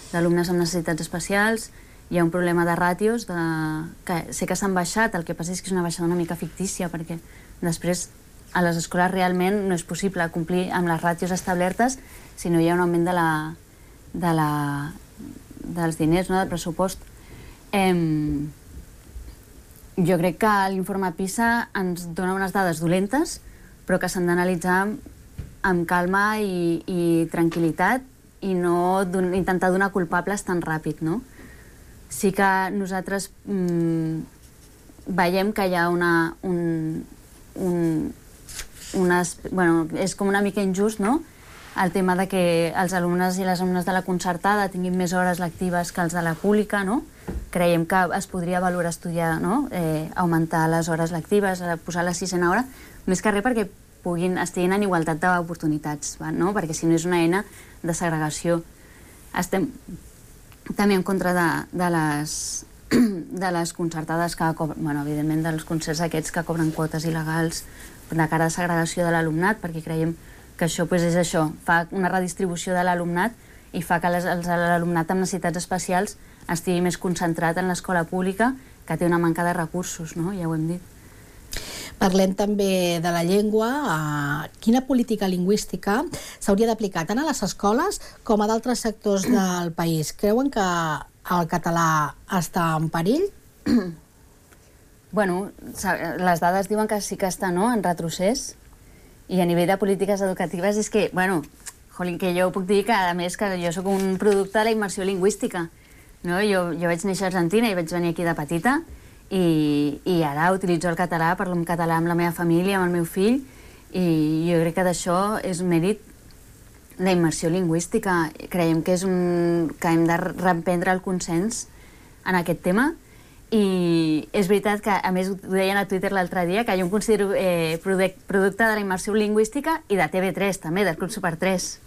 d'alumnes amb necessitats especials. Hi ha un problema de ràtios, que sé que s'han baixat, el que passa és que és una baixada una mica fictícia, perquè després a les escoles realment no és possible complir amb les ràtios establertes si no hi ha un augment dels diners, del pressupost. Jo crec que l'informe PISA ens dona unes dades dolentes, però que s'han d'analitzar amb calma i tranquil·litat i no intentar donar culpables tan ràpid, no? Sí que nosaltres veiem que hi ha és com una mica injust, no?, el tema de que els alumnes i les alumnes de la concertada tinguin més hores lectives que els de la pública, no? Creiem que es podria valorar estudiar, augmentar les hores lectives, posar la 6a hora, més que res perquè estiguin en igualtat d'oportunitats, perquè si no és una eina de segregació. Estem també en contra de les concertades que cobren, evidentment dels concerts aquests que cobren quotes il·legals de cara a segregació de l'alumnat, perquè creiem que això és això, fa una redistribució de l'alumnat i fa que l'alumnat amb necessitats especials estigui més concentrat en l'escola pública, que té una manca de recursos, ja ho hem dit. Parlem també de la llengua. Quina política lingüística s'hauria d'aplicar tant a les escoles com a d'altres sectors del país? Creuen que el català està en perill? Bueno, les dades diuen que sí que està en retrocés, i a nivell de polítiques educatives és que, que jo puc dir que, a més, que jo sóc un producte de la immersió lingüística. Jo vaig néixer a Argentina i vaig venir aquí de petita i ara utilitzo el català, parlo en català amb la meva família, amb el meu fill, i jo crec que d'això és un mèrit la immersió lingüística. Creiem que hem de reprendre el consens en aquest tema. I és veritat que, a més, ho deien a Twitter l'altre dia, que jo em considero producte de la immersió lingüística i de TV3 també, del Club Super 3.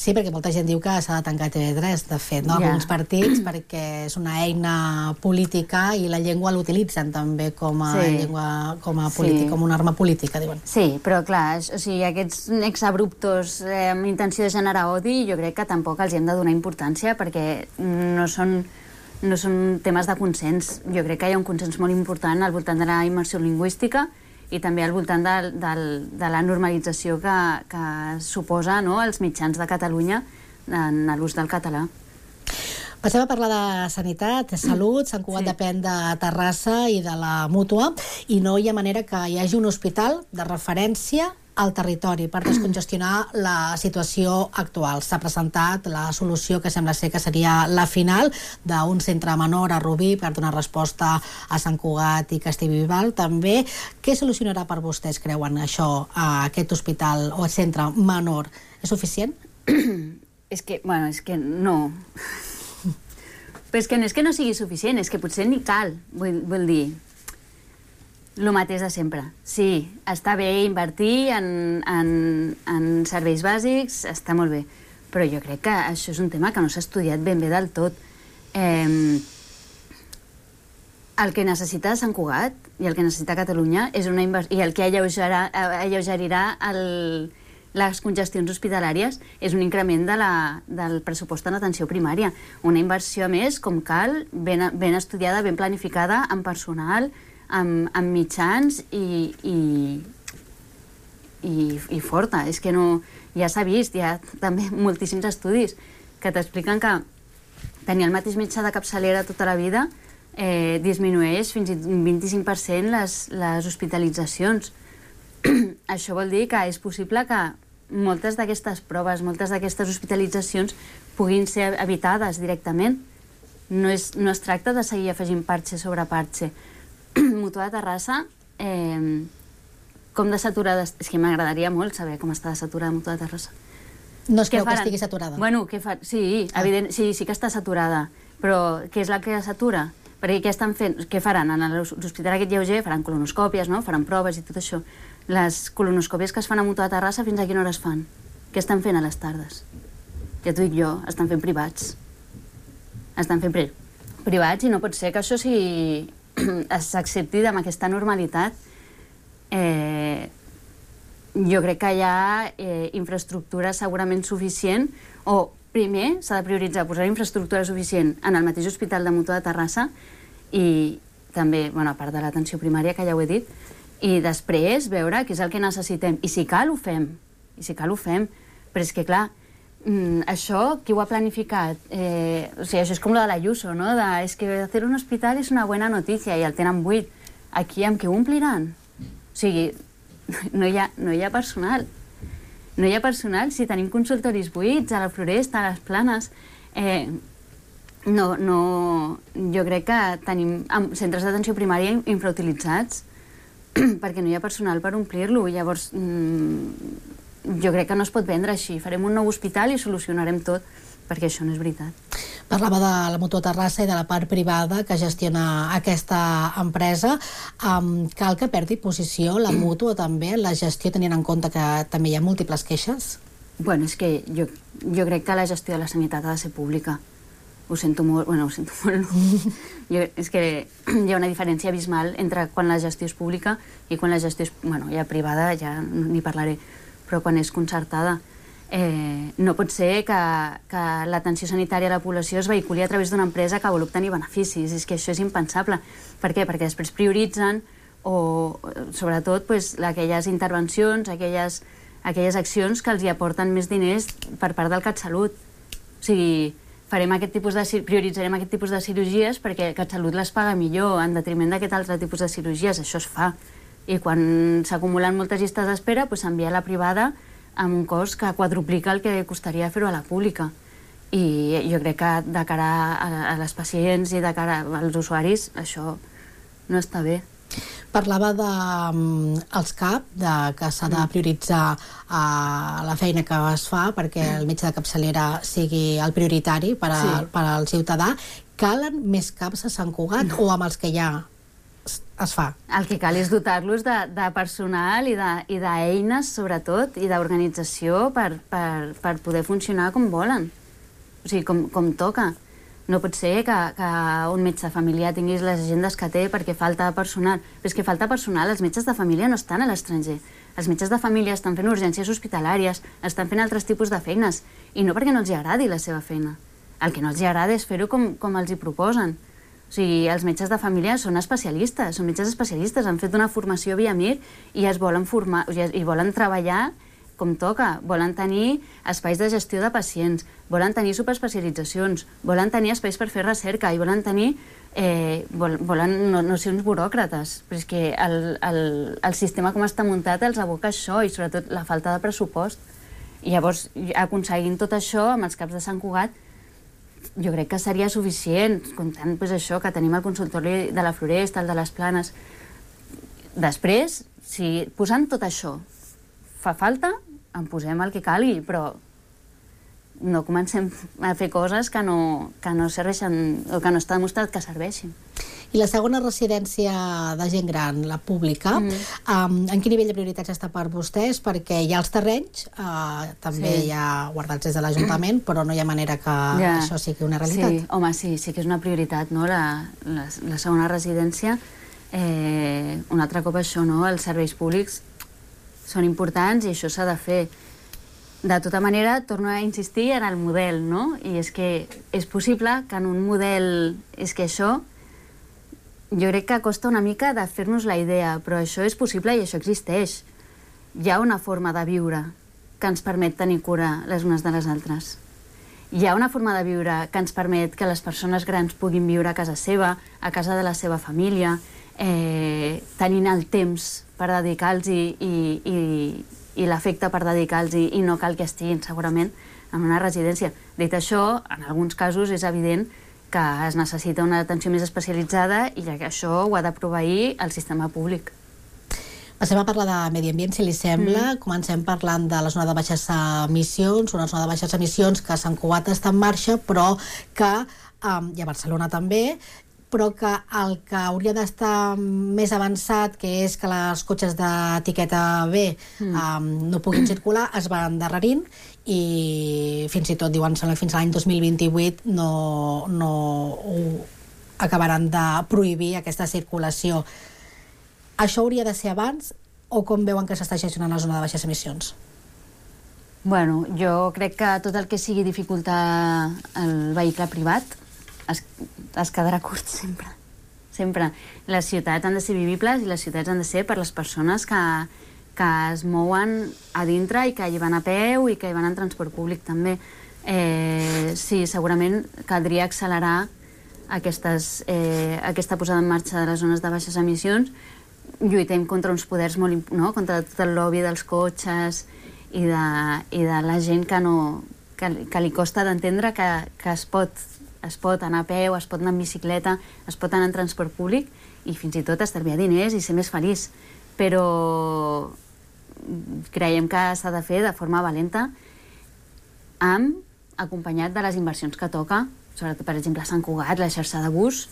Sí, perquè molta gent diu que s'ha de tancar TV3, de fet, no? Alguns partits, perquè és una eina política i la llengua l'utilitzen també com a llengua, com una arma política, diuen. Sí, però clar, o sigui, aquests exabruptos amb intenció de generar odi, jo crec que tampoc els hem de donar importància perquè no són temes de consens. Jo crec que hi ha un consens molt important al voltant de la immersió lingüística i també al voltant de la normalització que suposa els mitjans de Catalunya en l'ús del català. Passem a parlar de sanitat, de salut. Sant Cugat depèn de Terrassa i de la Mútua i no hi ha manera que hi hagi un hospital de referència al territori per descongestionar la situació actual. S'ha presentat la solució que sembla ser que seria la final d'un centre menor a Rubí per donar resposta a Sant Cugat i Castellbisbal també. Què solucionarà per vostès, creuen, això, aquest hospital o centre menor? És suficient? És que no. Però és que no és que no sigui suficient, és que potser ni cal, vull dir. El mateix de sempre. Sí, està bé invertir en serveis bàsics, està molt bé, però jo crec que això és un tema que no s'ha estudiat ben bé del tot. El que necessita Sant Cugat i el que necessita Catalunya és una inversió, i el que alleugerirà les congestions hospitalàries és un increment del pressupost en atenció primària. Una inversió més, com cal, ben estudiada, ben planificada, amb personal, amb mitjans i forta. És que no... Ja s'ha vist, hi ha també moltíssims estudis que t'expliquen que tenir el mateix metge de capçalera tota la vida disminueix fins i tot un 25% les hospitalitzacions. Això vol dir que és possible que moltes d'aquestes proves, moltes d'aquestes hospitalitzacions puguin ser evitades directament. No es tracta de seguir afegint parxe sobre parxe. Mútua de Terrassa, com de saturada... És que m'agradaria molt saber com està de saturada Mútua de Terrassa. No es creu que estigui saturada? Bueno, sí, sí que està saturada, però què és la que satura? Perquè què estan fent? Què faran? En l'hospital aquest lleuger faran colonoscòpies, no? Faran proves i tot això. Les colonoscòpies que es fan a Mútua de Terrassa, fins a quina hora es fan? Què estan fent a les tardes? Ja t'ho dic jo, estan fent privats. Estan fent privats i no pot ser que això s'accepti amb aquesta normalitat. Jo crec que hi ha infraestructura segurament suficient, o primer s'ha de prioritzar posar infraestructura suficient en el mateix hospital de Mútua de Terrassa i també, a part de l'atenció primària, que ja ho he dit, i després veure què és el que necessitem. I si cal, ho fem. Però és que, clar, això, qui ho ha planificat? O sigui, això és com lo de l'Ayuso, no? És que hacer un hospital és una bona notícia i el tenen buit. Aquí amb què ho ompliran? O sigui, no hi ha personal. No hi ha personal si tenim consultoris buits a la Floresta, a les Planes. Jo crec que tenim centres d'atenció primària infrautilitzats perquè no hi ha personal per omplir-lo. Llavors, jo crec que no es pot vendre així. Farem un nou hospital i solucionarem tot, perquè això no és veritat. Parlava de la Mútua Terrassa i de la part privada que gestiona aquesta empresa. Cal que perdi posició la Mútua també en la gestió, tenint en compte que també hi ha múltiples queixes? Bueno, és que jo crec que la gestió de la sanitat ha de ser pública. Ho sento molt. És que hi ha una diferència abismal entre quan la gestió és pública i quan la gestió és, ja privada, ja n'hi parlaré, però quan és concertada. No pot ser que l'atenció sanitària a la població es vehiculi a través d'una empresa que vol obtenir beneficis. És que això és impensable. Per què? Perquè després prioritzen o, sobretot, aquelles intervencions, aquelles accions que els hi aporten més diners per part del CatSalut. O sigui, prioritzarem aquest tipus de cirurgies perquè el CatSalut les paga millor en detriment d'aquest altre tipus de cirurgies. Això es fa. I quan s'acumulen moltes llistes d'espera, s'envia a la privada amb un cost que quadruplica el que costaria fer-ho a la pública. I jo crec que de cara a les pacients i de cara als usuaris això no està bé. Parlava dels CAP, que s'ha de prioritzar la feina que es fa perquè el metge de capçalera sigui el prioritari per al ciutadà. Calen més CAPs a Sant Cugat o amb els que hi ha es fa. El que cal és dotar-los de personal i d'eines, sobretot, i d'organització per poder funcionar com volen. O sigui, com toca. No pot ser que un metge de família tinguis les agendes que té perquè falta personal. Però és que falta personal, els metges de família no estan a l'estranger. Els metges de família estan fent urgències hospitalàries, estan fent altres tipus de feines, i no perquè no els agradi la seva feina. El que no els agrada és fer-ho com els hi proposen. O sigui, els metges de família són especialistes, són metges especialistes, han fet una formació via MIR i es volen formar, i volen treballar com toca, volen tenir espais de gestió de pacients, volen tenir superespecialitzacions, volen tenir espais per fer recerca i volen tenir... volen no ser uns buròcrates, però és que el sistema com està muntat els aboca això, i sobretot la falta de pressupost. I llavors, aconseguint tot això amb els CAPs de Sant Cugat, jo crec que seria suficient, comptant això, que tenim el consultori de la Floresta, el de les Planes. Després, si posant tot això fa falta, en posem el que calgui, però no comencem a fer coses que no serveixen o que no està demostrat que serveixin. I la segona residència de gent gran, la pública, en quin nivell de prioritats està per vostès? Perquè hi ha els terrenys, també hi ha guardats des de l'Ajuntament, però no hi ha manera que això sigui una realitat. Sí, home, sí que és una prioritat, no? La segona residència. Un altre cop això, no? Els serveis públics són importants i això s'ha de fer. De tota manera, torno a insistir en el model, no? I és que és possible que en un model... És que això... Jo crec que costa una mica de fer-nos la idea, però això és possible i això existeix. Hi ha una forma de viure que ens permet tenir cura les unes de les altres. Hi ha una forma de viure que ens permet que les persones grans puguin viure a casa seva, a casa de la seva família, tenint el temps per dedicar-los i l'afecte per dedicar-los i no cal que estiguin segurament en una residència. Dit això, en alguns casos és evident que es necessita una atenció més especialitzada i que això ho ha de proveir el sistema públic. Passem a parlar de medi ambient, si li sembla. Comencem parlant de la zona de baixes emissions, una zona de baixes emissions que a Sant Cugat està en marxa, però que, i a Barcelona també, però que el que hauria d'estar més avançat, que és que els cotxes d'etiqueta B no puguin circular, es va endarrerint i fins i tot diuen que fins a l'any 2028 no acabaran de prohibir aquesta circulació. Això hauria de ser abans o com veuen que s'està gestionant la zona de baixes emissions? Bueno, jo crec que tot el que sigui dificultar el vehicle privat es quedarà curt sempre. Sempre. Les ciutats han de ser vivibles i les ciutats han de ser per les persones que es mouen a dintre i que hi van a peu i que hi van en transport públic també. Sí, segurament caldria accelerar aquesta posada en marxa de les zones de baixes emissions. Lluitem contra uns poders molt... contra tot el lobby dels cotxes i de la gent que li costa d'entendre que es pot anar a peu, es pot anar en bicicleta, es pot anar en transport públic i fins i tot estalviar diners i ser més feliç. Però creiem que s'ha de fer de forma valenta, acompanyat de les inversions que toca, sobretot, per exemple, a Sant Cugat, la xarxa de bus,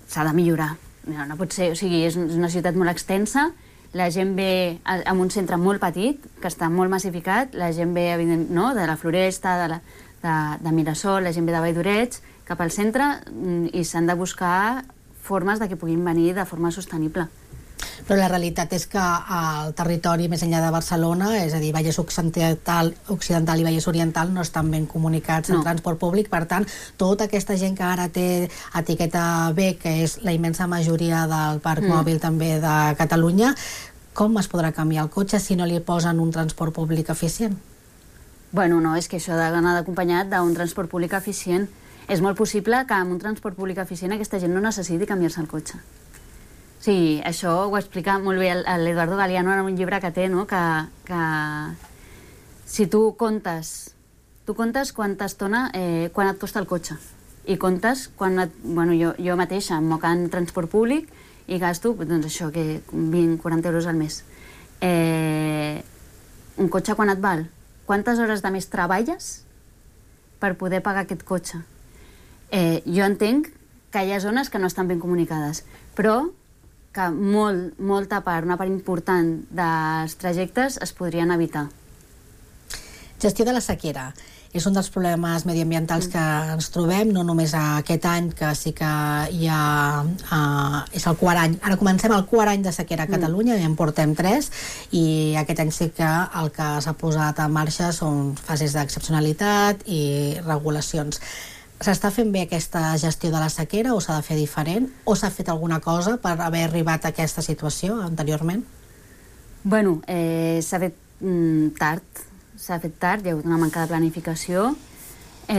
s'ha de millorar. No pot ser, o sigui, és una ciutat molt extensa, la gent ve en un centre molt petit, que està molt massificat, la gent ve, evidentment, de la Floresta, de Mirasol, la gent ve de Vall d'Oreig, cap al centre, i s'han de buscar formes de que puguin venir de forma sostenible. Però la realitat és que el territori més enllà de Barcelona, és a dir, Vallès Occidental i Vallès Oriental, no estan ben comunicats en transport públic. Per tant, tota aquesta gent que ara té etiqueta B, que és la immensa majoria del parc mòbil també de Catalunya, com es podrà canviar el cotxe si no li posen un transport públic eficient? Bueno, no, és que això ha d'anar acompanyat d'un transport públic eficient. És molt possible que amb un transport públic eficient aquesta gent no necessiti canviar-se el cotxe. Sí, això ho explica molt bé l'Eduardo Galeano en un llibre que té, no? Que si tu comptes quanta estona, quan et costa el cotxe, i comptes quan jo mateixa em moc en transport públic i gasto, doncs això, que 20-40 euros al mes. Un cotxe quan et val? Quantes hores de més treballes per poder pagar aquest cotxe? Jo entenc que hi ha zones que no estan ben comunicades, però que molta part, una part important dels trajectes es podrien evitar. Gestió de la sequera. És un dels problemes mediambientals que ens trobem, no només aquest any, que sí que hi ha... és el quart any. Ara comencem el quart any de sequera a Catalunya, ja en portem 3, i aquest any sí que el que s'ha posat en marxa són fases d'excepcionalitat i regulacions. S'està fent bé aquesta gestió de la sequera o s'ha de fer diferent? O s'ha fet alguna cosa per haver arribat a aquesta situació anteriorment? Bueno, s'ha fet tard. S'ha fet tard, hi ha hagut una manca de planificació. Per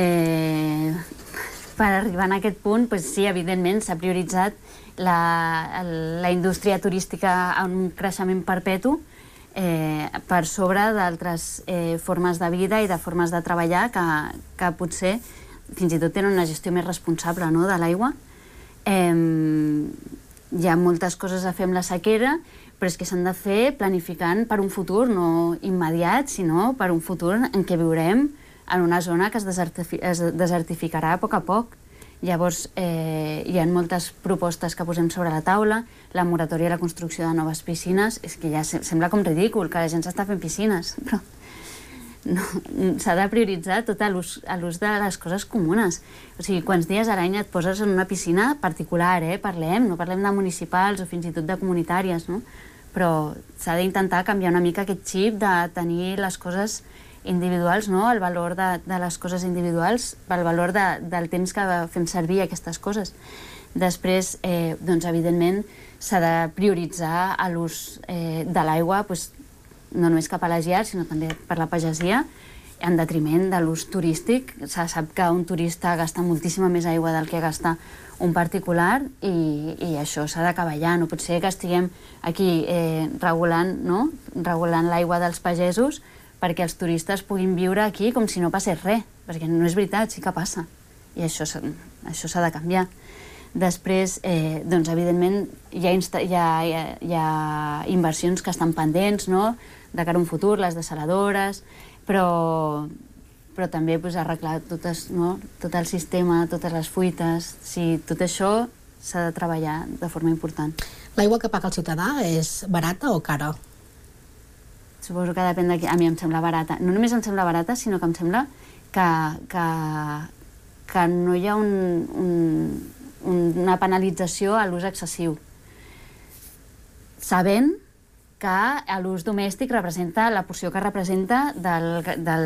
arribar a aquest punt, sí, evidentment, s'ha prioritzat la indústria turística en un creixement perpetu per sobre d'altres formes de vida i de formes de treballar que potser fins i tot tenen una gestió més responsable de l'aigua. Hi ha moltes coses a fer amb la sequera, però és que s'han de fer planificant per un futur no immediat, sinó per un futur en què viurem en una zona que es desertificarà a poc. Llavors, hi ha moltes propostes que posem sobre la taula, la moratòria i la construcció de noves piscines, és que ja sembla com ridícul que la gent s'està fent piscines, però s'ha de prioritzar tot l'ús de les coses comunes. O sigui, quants dies a l'any et poses en una piscina particular, no parlem de municipals o fins i tot de comunitàries, no? Però s'ha d'intentar canviar una mica aquest xip de tenir les coses individuals, no? El valor de les coses individuals, el valor del temps que fem servir aquestes coses. Després, doncs, evidentment, s'ha de prioritzar l'ús de l'aigua, no només cap a les llars, sinó també per la pagesia, en detriment de l'ús turístic. Se sap que un turista gasta moltíssima més aigua del que gasta un particular i això s'ha d'acabar ja. No pot ser que estiguem aquí regulant l'aigua dels pagesos perquè els turistes puguin viure aquí com si no passés res, perquè no és veritat, sí que passa. I això s'ha de canviar. Després, doncs, evidentment, hi ha inversions que estan pendents, no?, de cara a un futur, les desaladores, però també arreglar tot el sistema, totes les fuites. Tot això s'ha de treballar de forma important. L'aigua que paga el ciutadà és barata o cara? Suposo que depèn de qui. A mi em sembla barata. No només em sembla barata, sinó que em sembla que no hi ha una penalització a l'ús excessiu. Sabent que l'ús domèstic representa la porció que representa de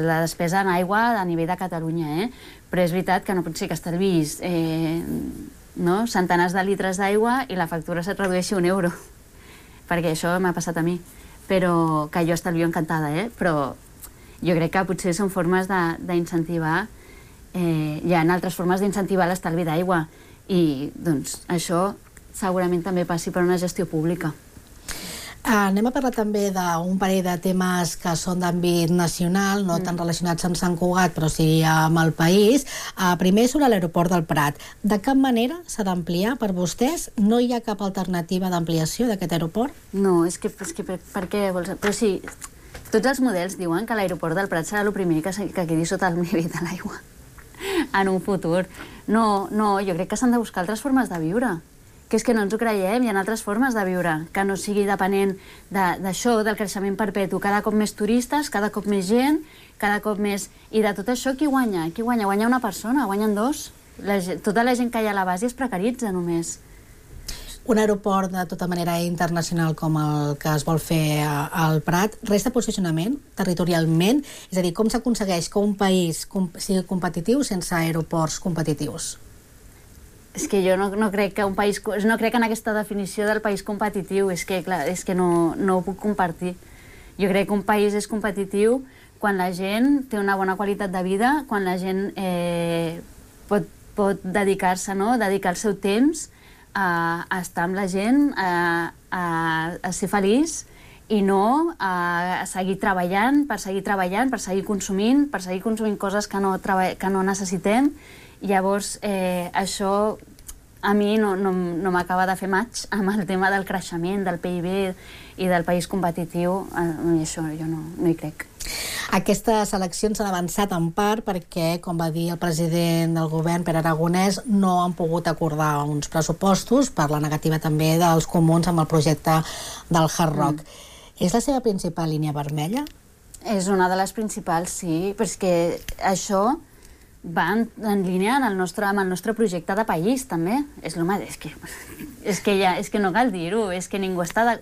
la despesa en aigua a nivell de Catalunya, però és veritat que no pot ser que estalvis centenars de litres d'aigua i la factura se't redueixi €1, perquè això m'ha passat a mi, però que jo estalvio encantada, però jo crec que potser són formes d'incentivar, hi ha altres formes d'incentivar l'estalvi d'aigua i doncs això segurament també passi per una gestió pública. Anem a parlar també d'un parell de temes que són d'àmbit nacional, no tan relacionats amb Sant Cugat, però sí amb el país. Primer, sobre l'aeroport del Prat. De cap manera s'ha d'ampliar per vostès? No hi ha cap alternativa d'ampliació d'aquest aeroport? No, és que per què vols... Però sí, tots els models diuen que l'aeroport del Prat serà el primer que quedi sota el nivell de l'aigua en un futur. No, jo crec que s'han de buscar altres formes de viure. Que és que no ens ho creiem, hi ha altres formes de viure, que no sigui depenent d'això, del creixement perpetu, cada cop més turistes, cada cop més gent, cada cop més... I de tot això, qui guanya? Qui guanya? Guanya una persona, guanyen dos. Tota la gent que hi ha a la base es precaritza només. Un aeroport de tota manera internacional com el que es vol fer al Prat, resta posicionament territorialment? És a dir, com s'aconsegueix que un país sigui competitiu sense aeroports competitius? És que jo no crec que un país... No crec en aquesta definició del país competitiu, és que no ho puc compartir. Jo crec que un país és competitiu quan la gent té una bona qualitat de vida, quan la gent pot dedicar-se, dedicar el seu temps a estar amb la gent, a ser feliç i no a seguir treballant, per seguir consumint coses que no necessitem. Llavors, això a mi no m'acaba de fer match amb el tema del creixement, del PIB i del país competitiu, i això jo no hi crec. Aquestes eleccions s'han avançat en part perquè, com va dir el president del govern, Pere Aragonès, no han pogut acordar uns pressupostos per la negativa també dels comuns amb el projecte del Hard Rock. És la seva principal línia vermella? És una de les principals, sí, però és que això va en línia amb el nostre projecte de país, també. És que no cal dir-ho, és que ningú està...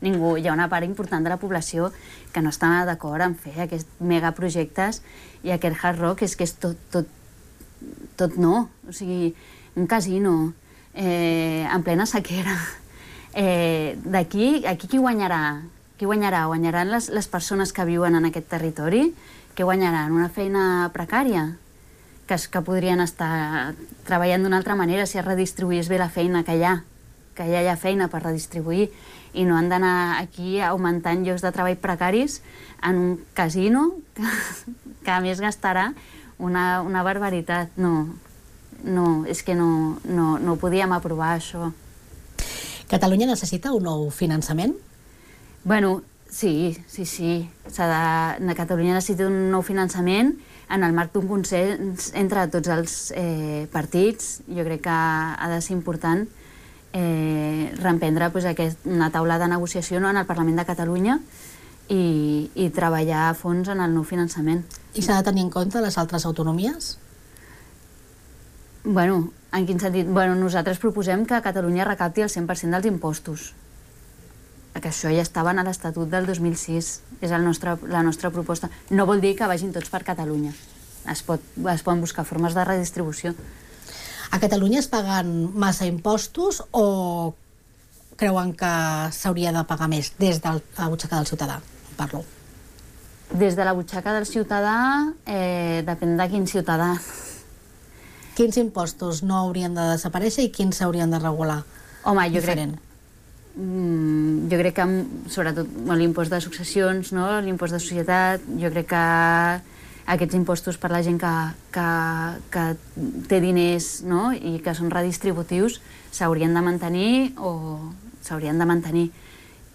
Ningú, hi ha una part important de la població que no està d'acord en fer aquests megaprojectes i aquest Hard Rock és que és tot no. O sigui, un casino en plena sequera. D'aquí qui guanyarà? Qui guanyarà? Guanyaran les persones que viuen en aquest territori? Què guanyaran? Una feina precària? Que podrien estar treballant d'una altra manera si es redistribuís bé la feina que hi ha. Que ja hi ha feina per redistribuir i no han d'anar aquí augmentant llocs de treball precaris en un casino que a més gastarà una barbaritat. No, és que no podíem aprovar això. Catalunya necessita un nou finançament? Bueno, sí. Catalunya necessita un nou finançament en el marc d'un consens entre tots els partits. Jo crec que ha de ser important reemprendre una taula de negociació en el Parlament de Catalunya i treballar a fons en el nou finançament. I s'ha de tenir en compte les altres autonomies? Bueno, en quin sentit? Bueno, nosaltres proposem que Catalunya recapti el 100% dels impostos. Que això ja estava en l'Estatut del 2006. És la nostra proposta. No vol dir que vagin tots per Catalunya. Es poden buscar formes de redistribució. A Catalunya es paguen massa impostos o creuen que s'hauria de pagar més des de la butxaca del ciutadà? Parlo. Des de la butxaca del ciutadà depèn de quin ciutadà. Quins impostos no haurien de desaparèixer i quins s'haurien de regular? Home, jo crec que sobretot l'impost de successions, l'impost de societat, jo crec que aquests impostos per la gent que té diners i que són redistributius s'haurien de mantenir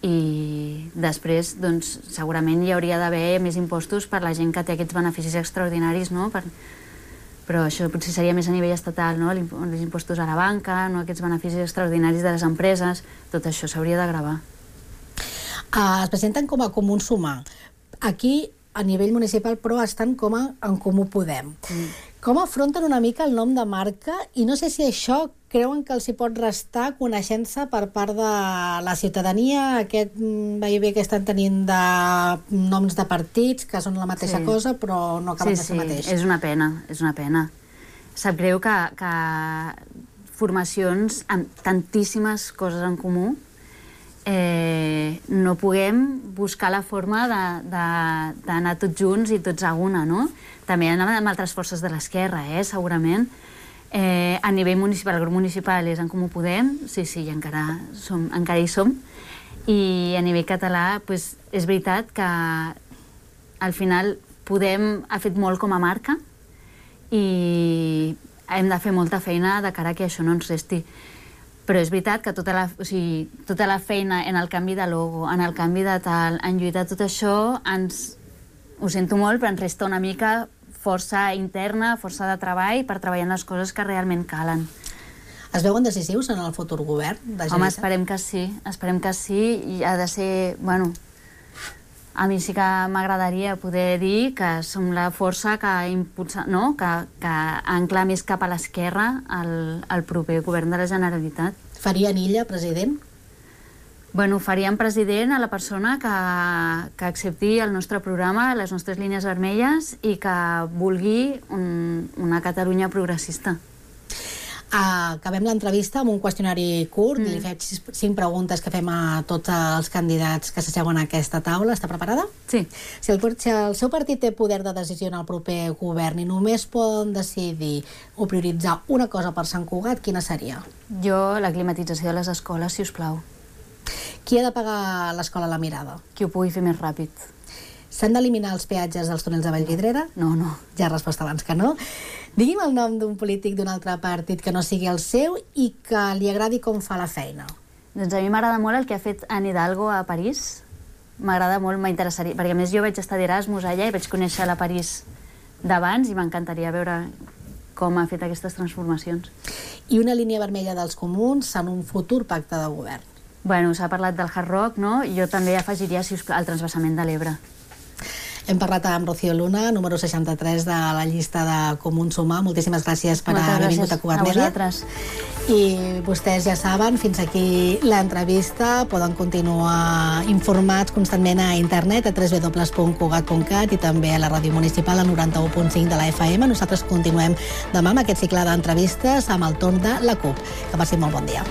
i després segurament hi hauria d'haver més impostos per la gent que té aquests beneficis extraordinaris, però això potser seria més a nivell estatal, els impostos a la banca, aquests beneficis extraordinaris de les empreses, tot això s'hauria de gravar. Es presenten com a Comú Sumar. Aquí a nivell municipal, però estan com a En Comú Podem. Com afronten una mica el nom de marca i no sé si això creuen que els hi pot restar coneixença per part de la ciutadania, aquest vaivé que estan tenint de noms de partits que són la mateixa cosa però no acaben de ser mateix. És una pena. Sap greu que formacions amb tantíssimes coses en comú no puguem buscar la forma d'anar tots junts i tots a una, no? També amb altres forces de l'esquerra, segurament. A nivell municipal, el grup municipal és En Comú Podem, sí, encara hi som, i a nivell català és veritat que al final Podem ha fet molt com a marca i hem de fer molta feina de cara que això no ens resti. Però és veritat que tota la feina en el canvi de logo, en el canvi de tal, en lluitar tot això, ho sento molt, però ens resta una mica força interna, força de treball per treballar en les coses que realment calen. Es veuen decisius en el futur govern de Gelida? Home, esperem que sí, i ha de ser, a mi sí que m'agradaria poder dir que som la força que impulsa, que ancla més cap a l'esquerra el proper govern de la Generalitat. Farien Illa president? Faríem president a la persona que accepti el nostre programa, les nostres línies vermelles i que vulgui una Catalunya progressista. Acabem l'entrevista amb un qüestionari curt. Li faig 5 preguntes que fem a tots els candidats que s'asseuen a aquesta taula. Està preparada? Sí. Si el seu partit té poder de decisió en el proper govern i només poden decidir o prioritzar una cosa per Sant Cugat, quina seria? Jo, la climatització de les escoles, si us plau. Qui ha de pagar l'escola La Mirada? Qui ho pugui fer més ràpid. S'han d'eliminar els peatges dels túnels de Vallvidrera? No. Ja has respost abans que no. Digui'm el nom d'un polític d'un altre partit que no sigui el seu i que li agradi com fa la feina. Doncs a mi m'agrada molt el que ha fet Anne Hidalgo a París. M'agrada molt, m'interessaria, perquè a més jo vaig estar d'Erasmus allà i vaig conèixer la París d'abans i m'encantaria veure com ha fet aquestes transformacions. I una línia vermella dels comuns en un futur pacte de govern? Bueno, s'ha parlat del Hard Rock, no? Jo també afegiria, si us plau, el transvasament de l'Ebre. Hem parlat amb Rocío Luna, número 63 de la llista de Comuns Sumar. Moltíssimes gràcies per haver vingut a Cugat Media. I vostès ja saben, fins aquí l'entrevista. Poden continuar informats constantment a internet, a www.cugat.cat i també a la ràdio municipal, a 91.5 de la FM. Nosaltres continuem demà amb aquest cicle d'entrevistes amb el torn de la CUP. Que passin molt bon dia.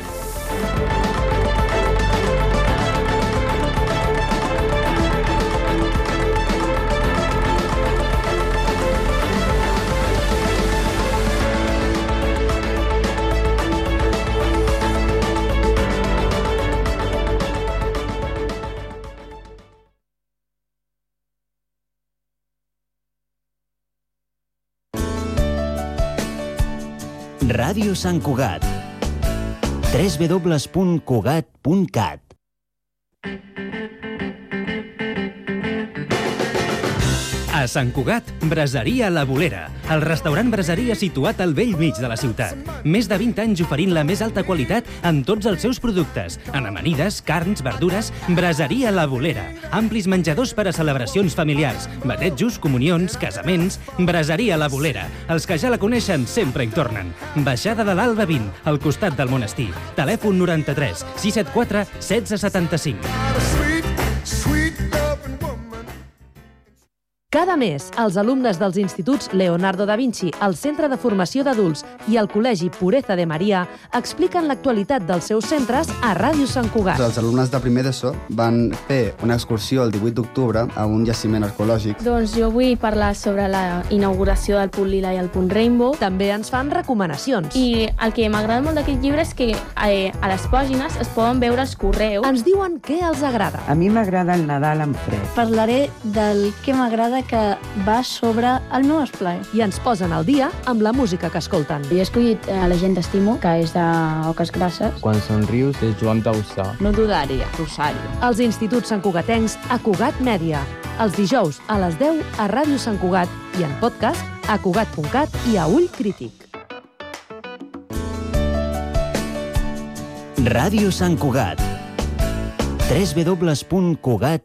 Ràdio Sant Cugat. www.cugat.cat. A Sant Cugat, Braseria La Bolera, el restaurant braseria situat al vell mig de la ciutat. Més de 20 anys oferint la més alta qualitat en tots els seus productes, en amanides, carns, verdures. Braseria La Bolera, amplis menjadors per a celebracions familiars, batejos, comunions, casaments. Braseria La Bolera, els que ja la coneixen sempre hi tornen. Baixada de l'Alba 20, al costat del monestir. Telèfon 93 674 1675. Cada mes, els alumnes dels instituts Leonardo da Vinci, el Centre de Formació d'Adults i el Col·legi Pureza de Maria expliquen l'actualitat dels seus centres a Ràdio Sant Cugat. Els alumnes de primer d'ESO van fer una excursió el 18 d'octubre a un jaciment arqueològic. Doncs jo vull parlar sobre la inauguració del Punt Lila i el Punt Rainbow. També ens fan recomanacions. I el que m'agrada molt d'aquest llibre és que a les pàgines es poden veure els correus. Ens diuen què els agrada. A mi m'agrada el Nadal en fred. Parlaré del que m'agrada que va sobre el meu esplai. I ens posen al dia amb la música que escolten. Jo he escollit La gent t'estimo, que és d'Oques Grasses. Quan somrius és Joan Dausà. No dudaria, Rosario. Els instituts santcugatencs a Cugat Mèdia. Els dijous a les 10 a Ràdio Sant Cugat i en podcast a cugat.cat i a Ull Crític. Ràdio Sant Cugat. www.cugat.cat.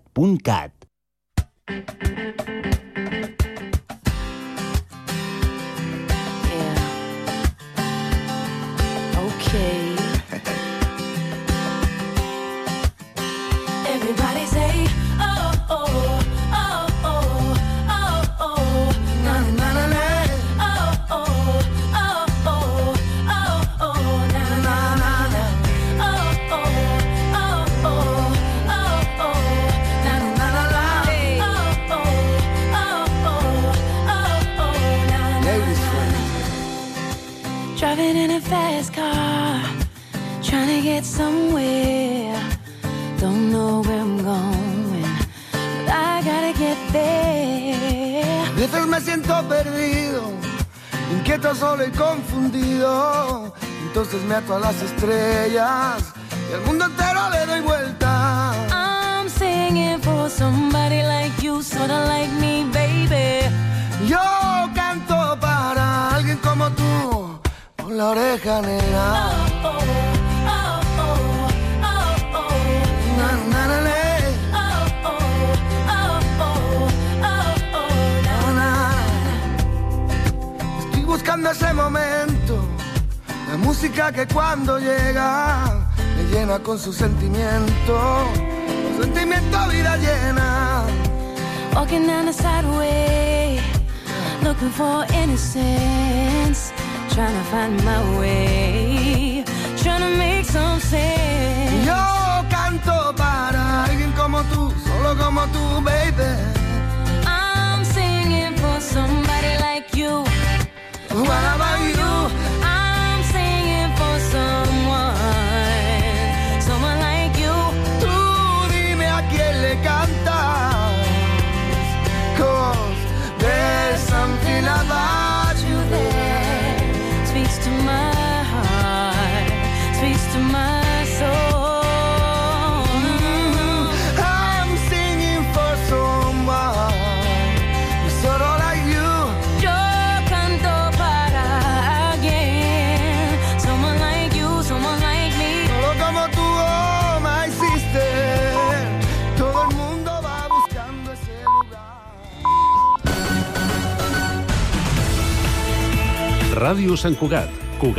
Everybody say, oh, oh, oh, oh, oh, oh, na na na na, oh, oh, oh, oh, oh, oh, na na na na, oh, oh, oh, oh, oh, oh, na na na na, oh, oh, oh, oh, oh, na na. Driving in a fast car, trying to get somewhere. Don't know where I'm going, but I gotta get there. A veces me siento perdido, inquieto, solo y confundido. Entonces me ato a las estrellas y al mundo entero le doy vuelta. I'm singing for somebody like you, sorta like me, baby. Yo canto para alguien como tú, por la oreja negra. Oh, oh. Buscando ese momento, la música que cuando llega me llena con su sentimiento, su sentimiento vida llena. Walking down the sideway, looking for innocence, trying to find my way, trying to make some sense. Yo canto para alguien como tú, solo como tú, baby. I'm singing for somebody like you. What about you? I'm singing for someone like you. Tú dime a quién le cantas. my heart, speaks to my soul. I'm singing for someone who's sort of like you. Yo canto para alguien, someone like you, someone like me. Solo como tú, oh, my sister. Todo el mundo va buscando ese lugar. Ràdio Sant Cugat,